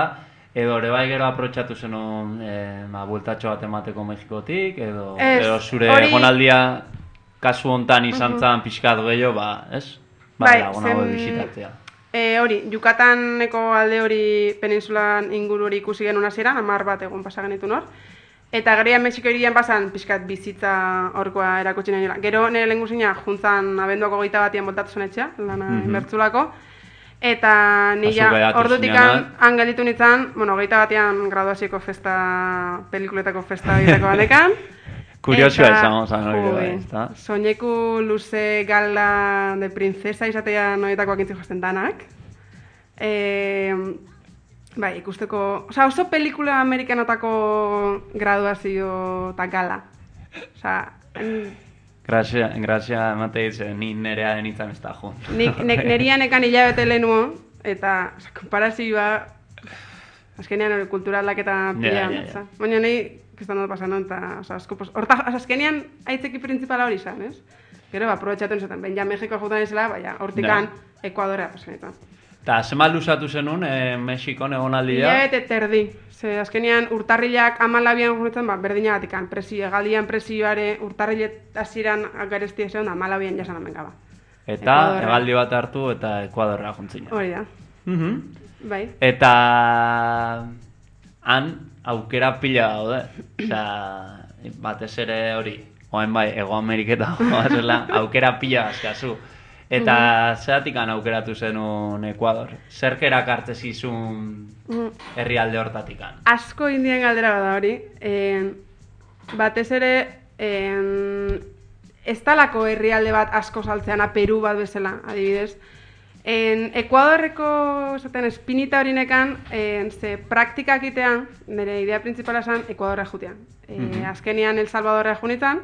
edo ere bai gero aprotxatu zenun eh, ba, bueltatxo bat emateko Mexikotik, edo, Ez, edo zure hori- egonaldia kasu hontan izan zan pixkat gehiago, ba, ez? Ba, Bai, lagun zen- hauek bisitatzea. E, hori, Yucataneko alde hori peninsulan inguru hori ikusi genuen hasieran, hamar bat egun pasa genituen hor. Eta gerian Mexiko hirian pasan pixkat bizitza horkoa erakutsi nahi niola. Gero nire lehengusina juntzan abenduako gehieta batian boltatu zen etxea, lana Mhm. inbertzulako. Eta Zu nila geratu ordutikan zinenak. han gelditu nintzen, bueno, gehieta batean graduazioko festa, pelikuletako festa egiteko batekan. Kuriosoa Eta, izango zan hori jo, bai, eh, ezta? Soineku luze gala de princesa izatea noietakoak intzi josten danak. E, bai, ikusteko... Osa, oso pelikula amerikanotako graduazio eta gala. Osa, en- Grazia, grazia emate ditzen, ni nerea denitzen ez da jun. nik, nek, nerian ekan hilabete lehenuo, eta osa, komparazioa... Azkenean hori kultura aldaketa pila. Ja, ja, ja. osa. Baina nahi, kistan dut pasan, eta osa, asko, pos, horta, osa, azkenean aitzeki principala hori izan, ez? Gero, ba, aprobetxatu nizaten, ben ja Mexiko jutan izela, baina, hortikan, Ekuadorra pasan izan. Eta zenbat luzatu zenun, eh, Mexikon egonaldia? Hilabete terdi. Ze azkenean urtarrilak amalabian junetzen, ba, berdinagatikan, presio, egaldian presioare urtarrilet hasieran garesti esan da, amalabian jasan hemen gaba. Eta Ekuadorra. hegaldi bat hartu eta Ekuadorra juntzina. Hori da, Mhm. bai. Eta han aukera pila daude. Osea, batez ere hori, oain bai, Ego Ameriketa oazela, aukera pila azkazu. Eta zeratik han aukeratu zenun Ekuador? Zerk erakartze zizun herrialde hortatikan? Asko indien galdera bada hori. En, batez ere, en, ez talako herrialde bat asko saltzeana, Peru bat bezala, adibidez. En Ekuadorreko esaten espinita horinekan, en, ze praktikak itean, nire idea principala esan, Ekuadorra jutean. E, Mhm. Azkenian El Salvadorra junitan,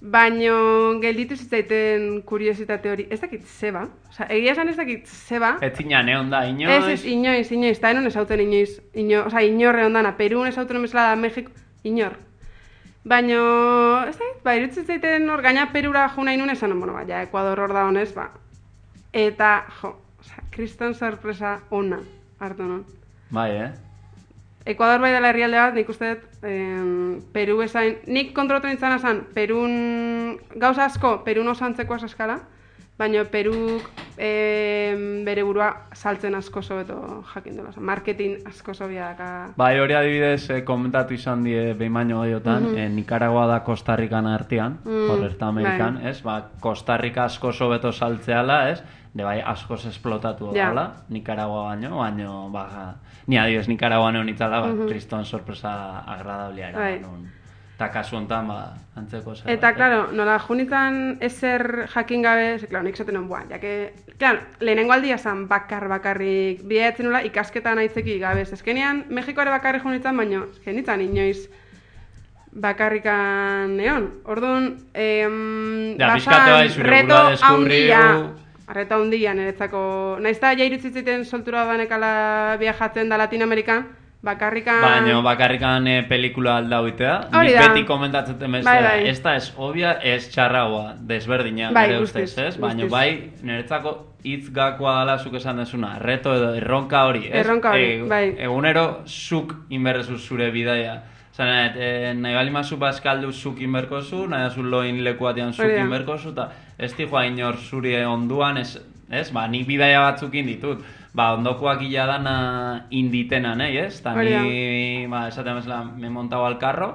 baino gelditu zitzaiten kuriositate hori. Ez dakit zeba, osea, egia esan ez dakit zeba. Ez zina neon da, inoiz? Ez, ez, inoiz, inoiz, eta enon ezauten inoiz, ino, oza, inorre ondana, Perun ezauten bezala da, Mexiko, inor. Baino, ez da, ba, irutzen zaiten hor, gaina Perura jo nahi nun esan, bueno, ba, ja, Ekuador hor da honez, ba. Eta, jo, oza, kriston sorpresa ona hartu nun. Bai, eh? Ekuador bai dela herrialde bat, nik uste dut, em, Peru esain, nik kontrolatu nintzen esan, Perun, gauza asko, Perun osantzeko eskala, baina Peruk em, bere burua saltzen asko sobeto jakin dela, oza, marketing asko sobia daka. Bai, hori adibidez eh, komentatu izan die behin baino gehiotan, eh, Nicaragua da Costa Rican artean, Mm, hor erta Amerikan, bai. ez? Ba, Costa Rica asko sobeto saltzeala, ez? De bai, askoz esplotatu Ja. dela, Nicaragua baino, baino, ba, ni adibidez Nicaragua neon itzala, ba, kriston sorpresa agradablea Bai. era. Nun. Eta kasu honetan, ba, antzeko zer. Eta, claro, nola junitan ezer jakin gabe, ze, claro, nik zaten nuen, buan, jake, claro, lehenengo aldia zan bakar bakarrik bideatzen nula ikasketan aitzeki gabe, ezkenean Mexikoare bakarrik junitan, baina genitan inoiz bakarrikan neon. Orduan, em, Ja, pixkate bai, zure reto burua deskubriu. handia, reto handia niretzako, nahiz da ja irutzitzeiten soltura banekala viajatzen da Latinoamerikan, bakarrikan... Baina bakarrikan eh, pelikula aldau itea. Hori Nik da. beti komentatzen bezala, Bai, bai. ez da ez obvia, ez txarragoa, desberdina, Bai, nire guztiz, ustez, ez? Baina guztiz. bai, niretzako hitz gakoa dela zuk esan dezuna, reto edo erronka hori, ez? Erronka hori, bai. Egunero zuk inberrezu zure bidaia Zene, e, nahi bali mazu bazkaldu zukin berkozu, nahi azu loin lekuatean zukin berkozu, eta ez di joa inor zuri onduan, ez, ez, ba, nik bidaia batzukin ditut. Ba, ondokoak ila dana inditena, nahi, ez? Eta ni, ba, esaten bezala, me montau al carro,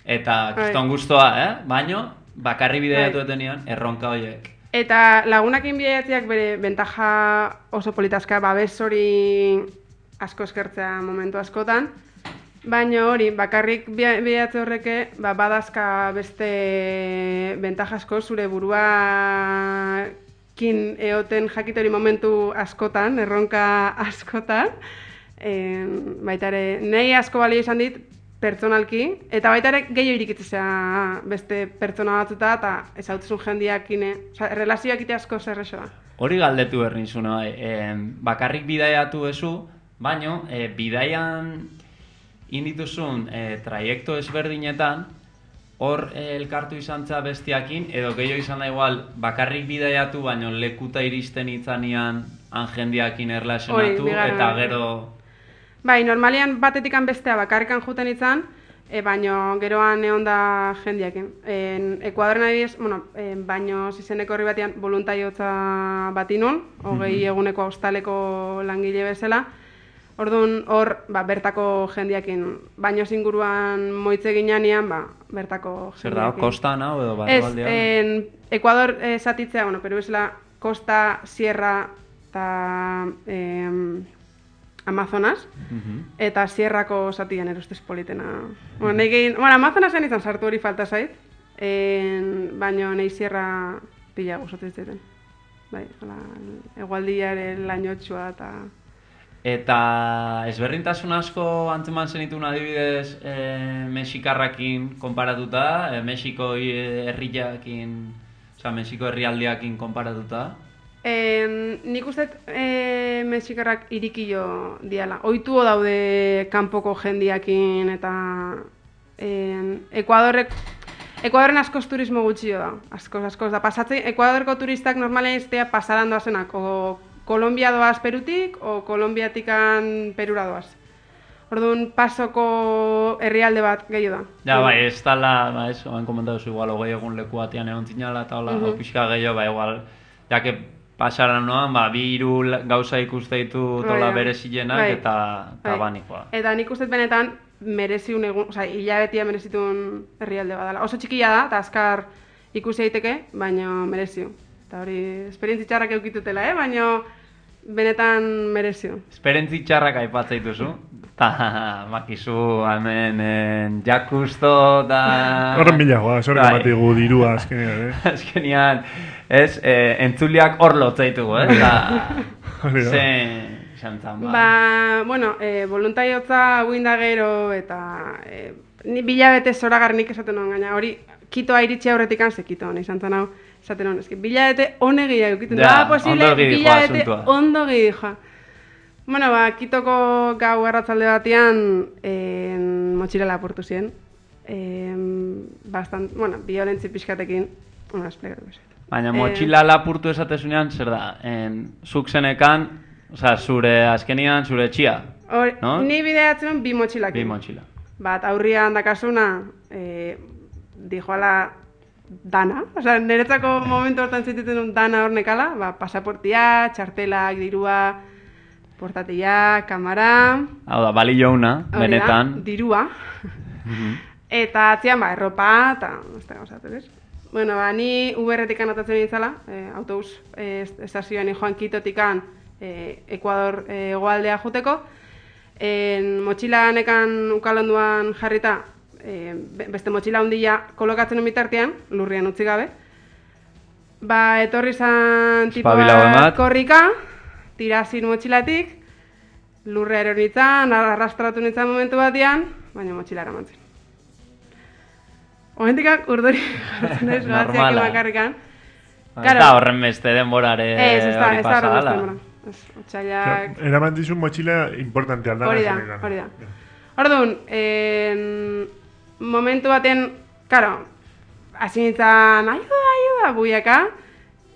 eta kiston guztua, eh? Baino, bakarri bidaiatu etenian, erronka horiek. Eta lagunakin bidaiatziak bere bentaja oso politazka, babes hori asko eskertzea momentu askotan, baina hori, bakarrik bidaiatze horreke, ba, badazka beste bentaja asko zure burua kin eoten jakitori momentu askotan, erronka askotan, e, baita ere, nahi asko balio izan dit, pertsonalki, eta baita ere gehiago irikitzea beste pertsona batzuta, eta ezautuzun jendiakin, oza, relazioak ite asko zerrexoa. Hori galdetu berrin zuen, bai, e, bakarrik bidaiatu ezu, baino, e, bidaian indituzun e, traiekto ezberdinetan, hor eh, elkartu izan za bestiakin, edo gehiago izan da igual, bakarrik bidaiatu, baino lekuta iristen itzanian jendiakin erlazionatu, eta gero... Bai, normalian batetikan bestea bakarrikan juten izan, e, baino geroan egon da jendiakin. En, Ekuadoren adibidez, bueno, e, baino zizeneko horri batean voluntariotza bat inun, hogei mm-hmm. eguneko hostaleko langile bezala, orduan hor, ba, bertako jendiakin, baino zinguruan moitze ginean, ba, bertako jendiakin. Zer da, kostan hau edo bat? Ez, en, Ekuador eh, zatitzea, bueno, Peru bezala, Costa, Sierra eta eh, Amazonas, uh-huh. eta Sierrako zatian erostez politena. Uh-huh. Bueno, nahi gehin, bueno, Amazonasen izan sartu hori falta zait, en, baino nahi Sierra pila guzotzen zaiten. Bai, egualdiaren lainotxua eta... Eta ezberdintasun asko antzeman zenitun adibidez e, Mexikarrakin konparatuta, e, Mexiko herriakin, oza, Mexiko herrialdiakin konparatuta? E, nik uste e, Mexikarrak irikio diala. Ohitu daude kanpoko jendiakin eta e, Ekuadorrek Ekuadorren askoz turismo gutxio da, askoz, askoz da. Pasatzen, Ekuadorko turistak normalen iztea pasaran doazenak, o Kolombia doaz Perutik, o Kolombiatikan Perura doaz. Orduan, pasoko herrialde bat gehiago da. Ja, bai, ez tala, ba, ez, oan komentatu zu, igual, hogei egun leku batean egon zinala, eta hola, uh-huh. pixka gehiago, ba, igual, jake pasaran noan, ba, bi hiru gauza ikuste ditu tola berezienak, bai. eta, eta bai. banikoa. Eta nik uste benetan, mereziun egun, oza, hilabetia merezitun herrialde badala. Oso txikia da, eta azkar ikusi daiteke, baina mereziu. Eta hori, esperientzi txarrak eukitutela, eh? baina benetan merezio. Esperientzi txarrak aipatzea ta makizu hemen en, jakusto da... Horren bilagoa, zorrek ematigu dirua azkenean, eh? Azkenean, ez, eh, entzuliak hor lotzaitugu, eh? Ze... Xantzan, ba... Ba, bueno, eh, voluntariotza guinda gero eta... Eh, ni bilabete zoragarrik esaten nuen gaina, hori Kitoa iritsi aurretik anze Kitoa, nahi zantzan hau, esaten nuen, eski bilabete onegia eukiten, da posible bilabete ondo gijoa. Bueno, ba, Kitoko gau erratzalde batean en, motxila lapurtu ziren. En, bastant, bueno, violentzi pixkatekin, bueno, esplikatu bezit. Baina motxila lapurtu esatezunean, zer da, en, zuk zenekan, oza, zure azkenian, zure etxia, Or, no? Ni bideatzen bi motxilakin. Bi motxila. Bat, aurrian dakasuna, eh, dijoala dana, osea, niretzako momentu hortan zituten dana hor nekala, ba, pasaportia, txartelak, dirua, portatia, kamara... Hau da, bali jouna, benetan. Da, dirua. Eta atzian, ba, erropa, eta... ez da gauzatu, ez? Bueno, ba, ni Uberretik anotatzen nintzala, eh, autobus eh, estazioan joan Kitotikan eh, Ekuador eh, egoaldea juteko. En, motxila nekan ukalonduan jarrita, eh, beste motxila handia kolokatzen bitartean, lurrian utzi gabe. Ba, etorri zan tipo bat korrika, tirazin motxilatik, lurrea eronitzan, arrastratu nintzen momentu batean, baina motxila eramantzen. Momentikak urdori jartzen ez, gaziak emakarrikan. Eta horren beste denborare hori pasala. Ez, ez da horren beste denbora. Otxaiak... Eramantizun motxila importante aldana. Hori da, hori da. Orduan, en... momentu baten, karo, hasi nintzen, ayuda, ayuda, buiaka,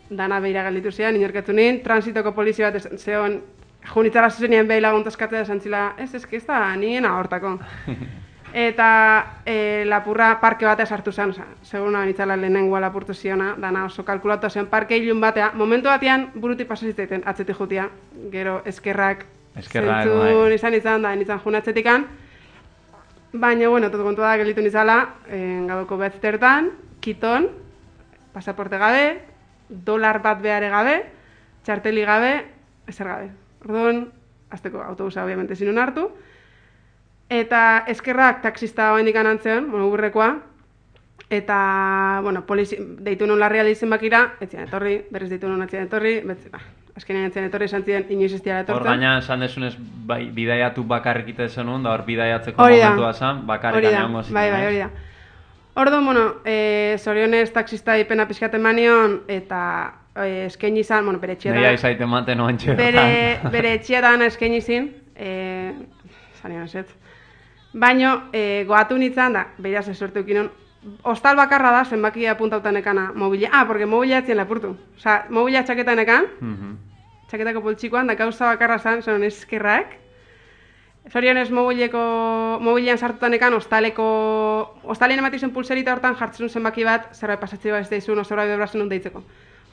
dana behira galditu zian, inorketu nien, transitoko polizia bat zeon, junitzara zuzenien behi laguntaskatzea esan zila, ez, ez, ez da, nien ahortako. Eta e, lapurra parke batea sartu zen, oza, seguna benitzala lehenengoa lapurtu ziona, dana oso kalkulatu zen parke ilun batea, momentu batean buruti pasazitzaiten atzetik jutia, gero eskerrak, Eskerrak, zentzun bai. izan izan, da nintzen jun atzetikan, baina, bueno, tot kontua da gelitu nizala, eh, gabeko betztertan, kiton, pasaporte gabe, dolar bat behare gabe, txarteli gabe, ezer gabe. Orduan, azteko autobusa obviamente zinun hartu, eta eskerrak taksista oendik anantzean, bueno, urrekoa, eta, bueno, polizi, deitu nun larria dizen bakira, etzian etorri, berriz deitu nun etzian etorri, betz, bah, azkenean etzian etorri esan ziren inoiz ez diara Hor etortzen. gaina esan desunez bai, bidaiatu bakarrik ite zenun, da hor bidaiatzeko Hori da. momentua zen, bakarrik Hori da, egongo zinen, bai, bai, ez? hori da. Orduan, bueno, e, zorionez taksista ipena pixkaten manion, eta e, eskaini izan, bueno, bere etxeetan. Neia izaiten maten oen Bere, bere etxeetan eskaini izin, e, zanion ez. Baino, e, goatu nintzen da, beraz esortu ukinon, hostal bakarra da, zenbaki apuntautan ekana mobila. Ah, porque mobila etzien lapurtu. Osa, mobila txaketan ekan, Mhm. txaketako poltsikoan, da gauza bakarra zan, zonon eskerrak. Zorionez mobileko, mobilean sartutan ekan, hostaleko, hostalien ematizun pulserita hortan jartzen zenbaki bat, zerbait pasatzea ez daizun, o zerbait bebrazen nun deitzeko.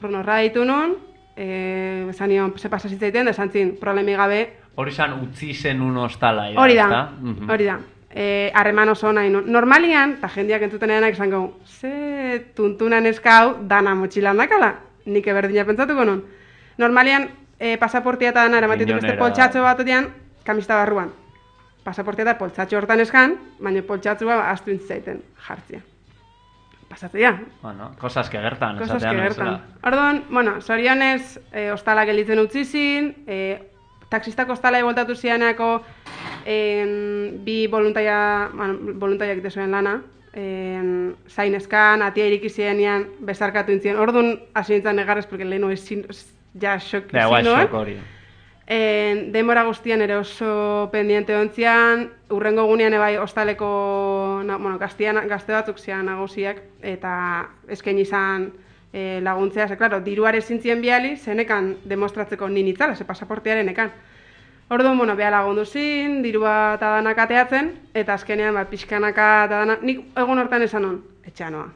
Horren horra ditu nun, e, esan nion, ze pasazitzaiten, da esan zin, problemi gabe. Hori zan utzi zenun ostala. ida, Hori da, ezta? Mhm. hori da. Eh, harreman oso nahi nun. Normalian, eta jendeak entzutenean esan gau, ze tuntunan eskau dana motxilan dakala. Nik eberdina pentsatuko nun. Normalian, eh, pasaportia eta dana eramatituko beste Miñonera. poltsatxo batean, kamista barruan. Pasaportia eta poltsatxo hortan eskan, baina poltsatxoa astu intzaiten jartzia. Pasatzea. Bueno, cosas que gertan, Cosas esatean que bezala. gertan. Orduan, bueno, zorionez, eh, ostala gelitzen utzi zin, eh, taxistako ostala voltatu zianako en, bi voluntaria, bueno, voluntariak egite zuen lana, en, zain eskan, atia iriki zienean, bezarkatu intzien. Orduan, hasi nintzen negarrez, porque lehenu ezin, ja xok Da, igual, ezin xok hori. En, denbora guztian ere oso pendiente ontzian, urrengo gunean ebai ostaleko, na, bueno, gaztian, gazte batzuk zian nagusiak, eta eskaini izan e, laguntzea, ze, klaro, diruare zintzien biali, zenekan demostratzeko ninitzala, ze pasaportearen ekan. Orduan, bueno, beha lagundu zin, dirua eta danak ateatzen, eta azkenean, ba, pixkanaka eta danak, nik egun hortan esan hon, etxean noa.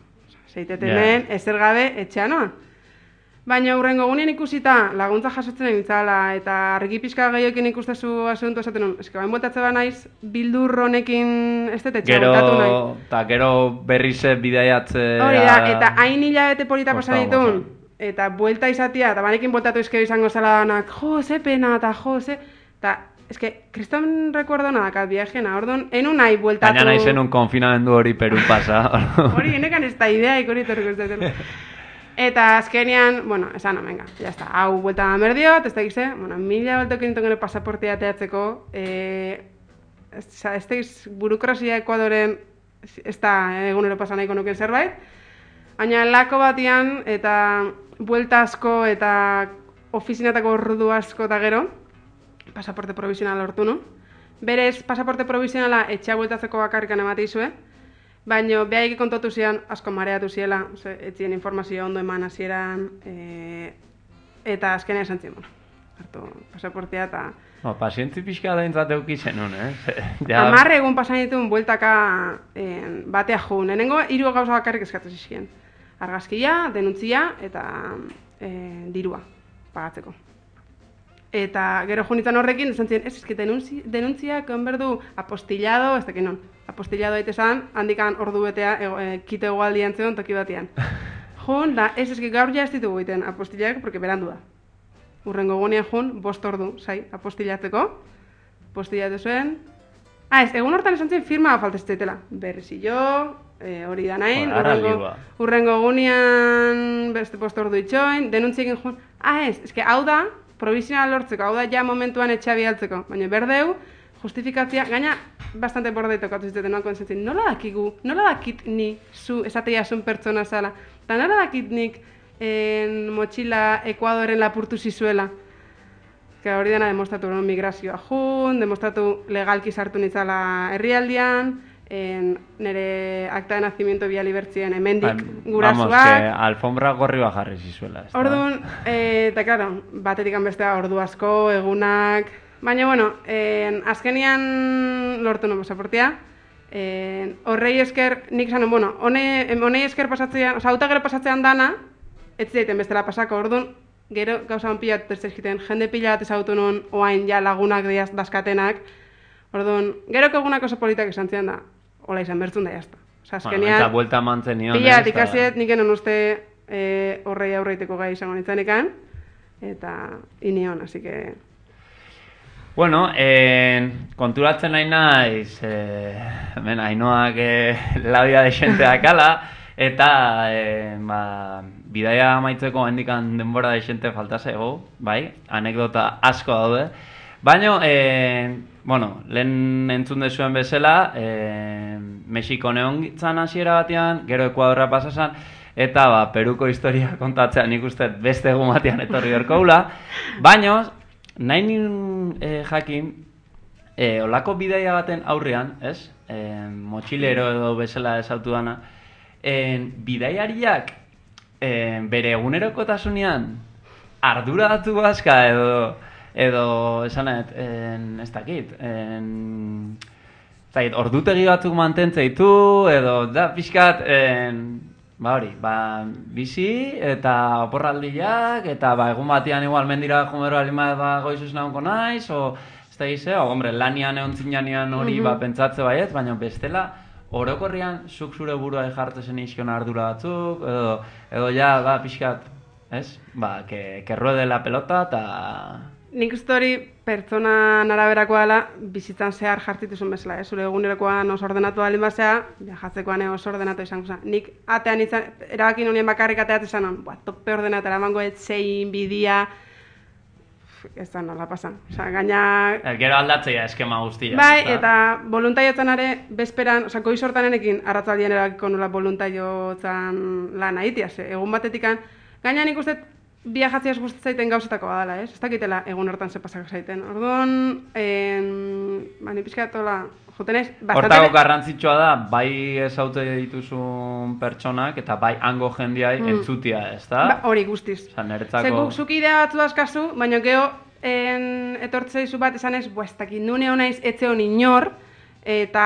Zeiteten Ja. hemen, ezer gabe, etxean noa. Baina hurrengo gunean ikusita laguntza jasotzen egitzala eta argi pixka gehiokin ikustezu asunto esaten nun. Eske bain bueltatze ba naiz bildur honekin ez dut etxea bueltatu nahi. Gero, eta gero berriz bidaiatzea... Hori da, eta hain hilabete polita Kostau, pasan ditun, kostau. eta buelta izatia, eta banekin bueltatu izkeo izango zela danak, jo, ze pena, eta jo, ze... Eta, eske, kriston recuerdo nadakat viajena, orduan, enun nahi bueltatu... Baina nahi zenun konfinamendu hori Perun pasa. Hori, enekan ez da idea ikori torriko ez dut. Eta azkenean, bueno, esan, venga, ya está, hau buelta merdiot, ez da gize, bueno, mila baltokin nintzen gero pasaportea ateatzeko, e, ez, ez da burokrazia Ekuadoren ez da egunero pasan nahiko nuken zerbait, baina lako batian eta buelta asko eta ofizinatako ordu asko eta gero, pasaporte provisional lortu nu. Berez, pasaporte provisionala etxea bueltatzeko bakarrikan emateizue, baina behaik kontatu zian asko mareatu ziela, ze, etzien informazio ondo eman hasieran, e, eta azkenean esan zien, bueno, hartu pasaportea eta... No, pazientzi pixka da intzateuki zenun, eh? Ja, Amarre egun pasan dituen bueltaka en, batea jun. Lehenengo hiru gauza bakarrik eskatu zizkien. Argazkia, denuntzia eta e, dirua pagatzeko. Eta gero junitzen horrekin, esan ziren, ez, eski denuntzi, denuntziak onberdu apostillado, ez dakin non. Apostillado daitezan, handikan ordu betea, ego, e, kite egualdian zeon toki batean. Jun, da, ez, eski gaur ja ez ditugu egiten apostillak, porque berandu da. Urrengo gunean jun, bost ordu, zai, apostillatzeko. Apostillatu zuen. Ah, ez, egun hortan esan zen firma falta ez daitela. Berrizillo, e, hori da nahin, Hor, ara urrengo, liba. urrengo gunean beste bost ordu itxoin, denuntziekin jun. Ah, ez, eske hau da, provisional lortzeko, hau da ja momentuan etxea bialtzeko, baina berdeu, justifikatzia, gaina bastante bordei tokatu zitzen noako entzien, nola dakigu, nola dakit ni zu esatea zun pertsona zala, eta nola dakit nik en motxila Ekuadoren lapurtu zizuela. Que hori dena demostratu non migrazioa jun, demostratu legalki sartu nitzala herrialdian, en nire akta de nacimiento biali bertzien hemendik Vamos, que gurasuak. alfombra gorri bajarri zizuela. ezta? Orduan, e, eta claro, batetik bestea ordu asko, egunak... Baina, bueno, en, azkenian lortu no pasaportea, E, horrei esker, nik zanen, bueno, hone, honei esker pasatzean, oza, auta gero pasatzean dana, ez zaiten bestela pasako, orduan, gero gauza hon pila egiten, jende pila bat ezagutu nun, oain ja lagunak diaz dazkatenak, orduan, gero egunak oso politak izan zian da, hola izan bertzun da jazta. Oza, azkenean, eta buelta mantzen nion. pila bat ikasiet, nik enon uste e, horrei aurreiteko gai izango nintzanekan, eta inion, así que... Bueno, eh, konturatzen nahi naiz, eh, hemen Ainoak eh, labia de xente dakala, eta eh, ba, bidaia amaitzeko hendikan denbora de xente falta zego, bai, anekdota asko daude. Baina, eh, bueno, lehen entzun dezuen bezala, eh, Mexiko neongitzan hasiera batean, gero Ekuadorra pasasan, eta ba, Peruko historia kontatzean nik uste beste egun batean etorri horkoula. Baina, nahi nien eh, jakin, eh, olako bidaia baten aurrean, ez? Eh, motxilero edo bezala esautu dana, eh, bidaiariak eh, bere egunerokotasunean ardura datu bazka edo, edo esanet, eh, ez dakit, eh, zait, ordutegi batzuk mantentzeitu, edo da pixkat, eh, ba hori, ba, bizi eta oporraldiak, eta ba, egun batean igual mendira jomero alima ba, goizuz nahunko naiz, o, ez da gize, o, hombre, lanian egon zinanean hori, ba, pentsatze baiet, baina bestela, orokorrian, zuk zure burua jartzen izkion ardura batzuk, edo, edo ja, ba, pixkat, ez? Ba, que, que ruede la pelota, eta... Nik uste hori pertsona araberakoa dela bizitzan zehar jartituzun bezala, eh? Zure egunerokoan oso ordenatu alin basea, viajatzekoan oso ordenatu izango zen. Nik atean izan, erabakin honien bakarrik ateat izan hon, buah, tope ordenatu, eramango etzein, bidia, ez da nola pasan. Osa, gaina... El, gero aldatzea eskema guztia. Bai, eta voluntariotzan are, bezperan, osa, goiz hortanenekin arratzaldien erabakiko nula voluntariotzan lan aitia, ze, egun batetikan, gaina nik uste viajatziaz gustatzen gauzetako badala, ez? Ez dakitela egun hortan ze pasak zaiten. Orduan, en, ba, ni pixkatola, joten ez, bastante... Hortako garrantzitsua da, bai ezaute dituzun pertsonak, eta bai hango jendiai mm. entzutia, ez da? Ba, hori guztiz. Osa, niretzako... Zekuk zuk idea batzu dazkazu, baina geho en, etortzeizu bat esan ez, buah, ez dakit, nune honaiz etze honi inor, eta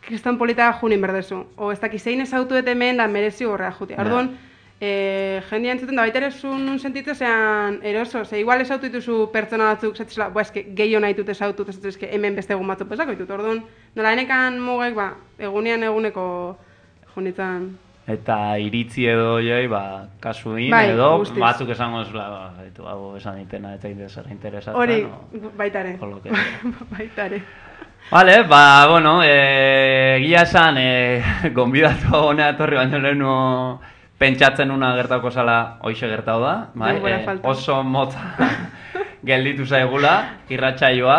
kriston polita junin berdezu. O ez dakit, zein ezautu eta hemen da merezi horrea jutia. Orduan, E, jendia entzuten da baita ere zuen sentitu zean eroso, ze igual esautu dituzu pertsona batzuk, zatzela, boa, eske gehiago nahi dut esautu, ez eske hemen beste egun batzuk pesako ditut, orduan, nola enekan mugek, ba, egunean eguneko junitzen. Eta iritzi edo joi, ba, kasuin bai, edo, guztiz. Batzuk esango zula, ba, haitu, hau esan ditena, eta interesara interesatzen. Hori, no? baita ere, baita ere. Vale, ba, bueno, e, egia esan, e, gonbidatu honea etorri baino lehenu pentsatzen una gertako zala hoize gertau da, bai? E, oso motza gelditu zaigula, irratsaioa.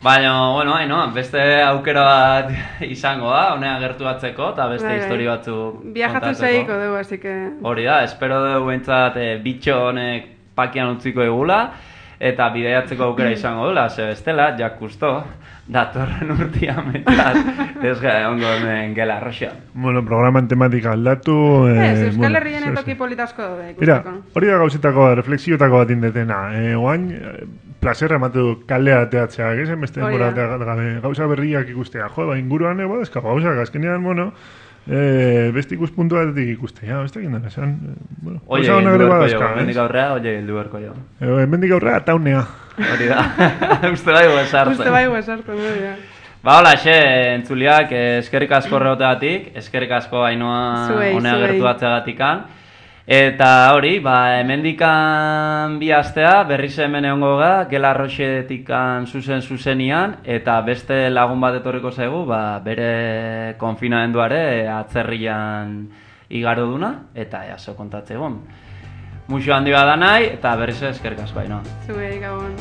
Baina, bueno, no, beste aukera bat izango da, honea gertuatzeko, eta beste bai, histori batzuk viajatu zaiko dugu, así que... Hori da, espero dugu bentsat e, bitxo honek pakian utziko egula, eta bidaiatzeko aukera izango dula, ze bestela, jakusto, datorren urtian metat, ez gara ongo hemen gela arroxa. Bueno, programan tematika aldatu... Eh, ez, Euskal Herrien bueno, etoki politazko daude, ikusteko. Mira, hori da gauzetako, reflexiotako bat indetena. Eh, oain, plazerra ematu kalea teatzea, egizen beste denbora gabe, gauza berriak ikustea. Jo, ba, inguruan ego, ezkago gauza, azkenean, bueno, eh, beste ikuspuntu batetik ikustea, beste egin dena, esan. Bueno, oie, hildu berko jo, mendik aurrea, oie, hildu berko jo. Eh, mendik aurrea, taunea. Hori da, uste bai guesartzen. Uste bai guesartzen, hori da. Ba, hola, xe, entzuliak, eskerrik asko rehoteatik, eskerrik asko Ainoa honea gertu batzeagatikan. Eta hori, ba, hemendikan bi astea, berriz hemen egongo ga, gela arroxetikan zuzen zuzenian, eta beste lagun bat etorriko zaigu, ba, bere konfinamenduare atzerrian igaro duna, eta jaso kontatze egon. Muxo handi bada nahi, eta berriz eskerrik asko Ainoa. Zuei, gabon.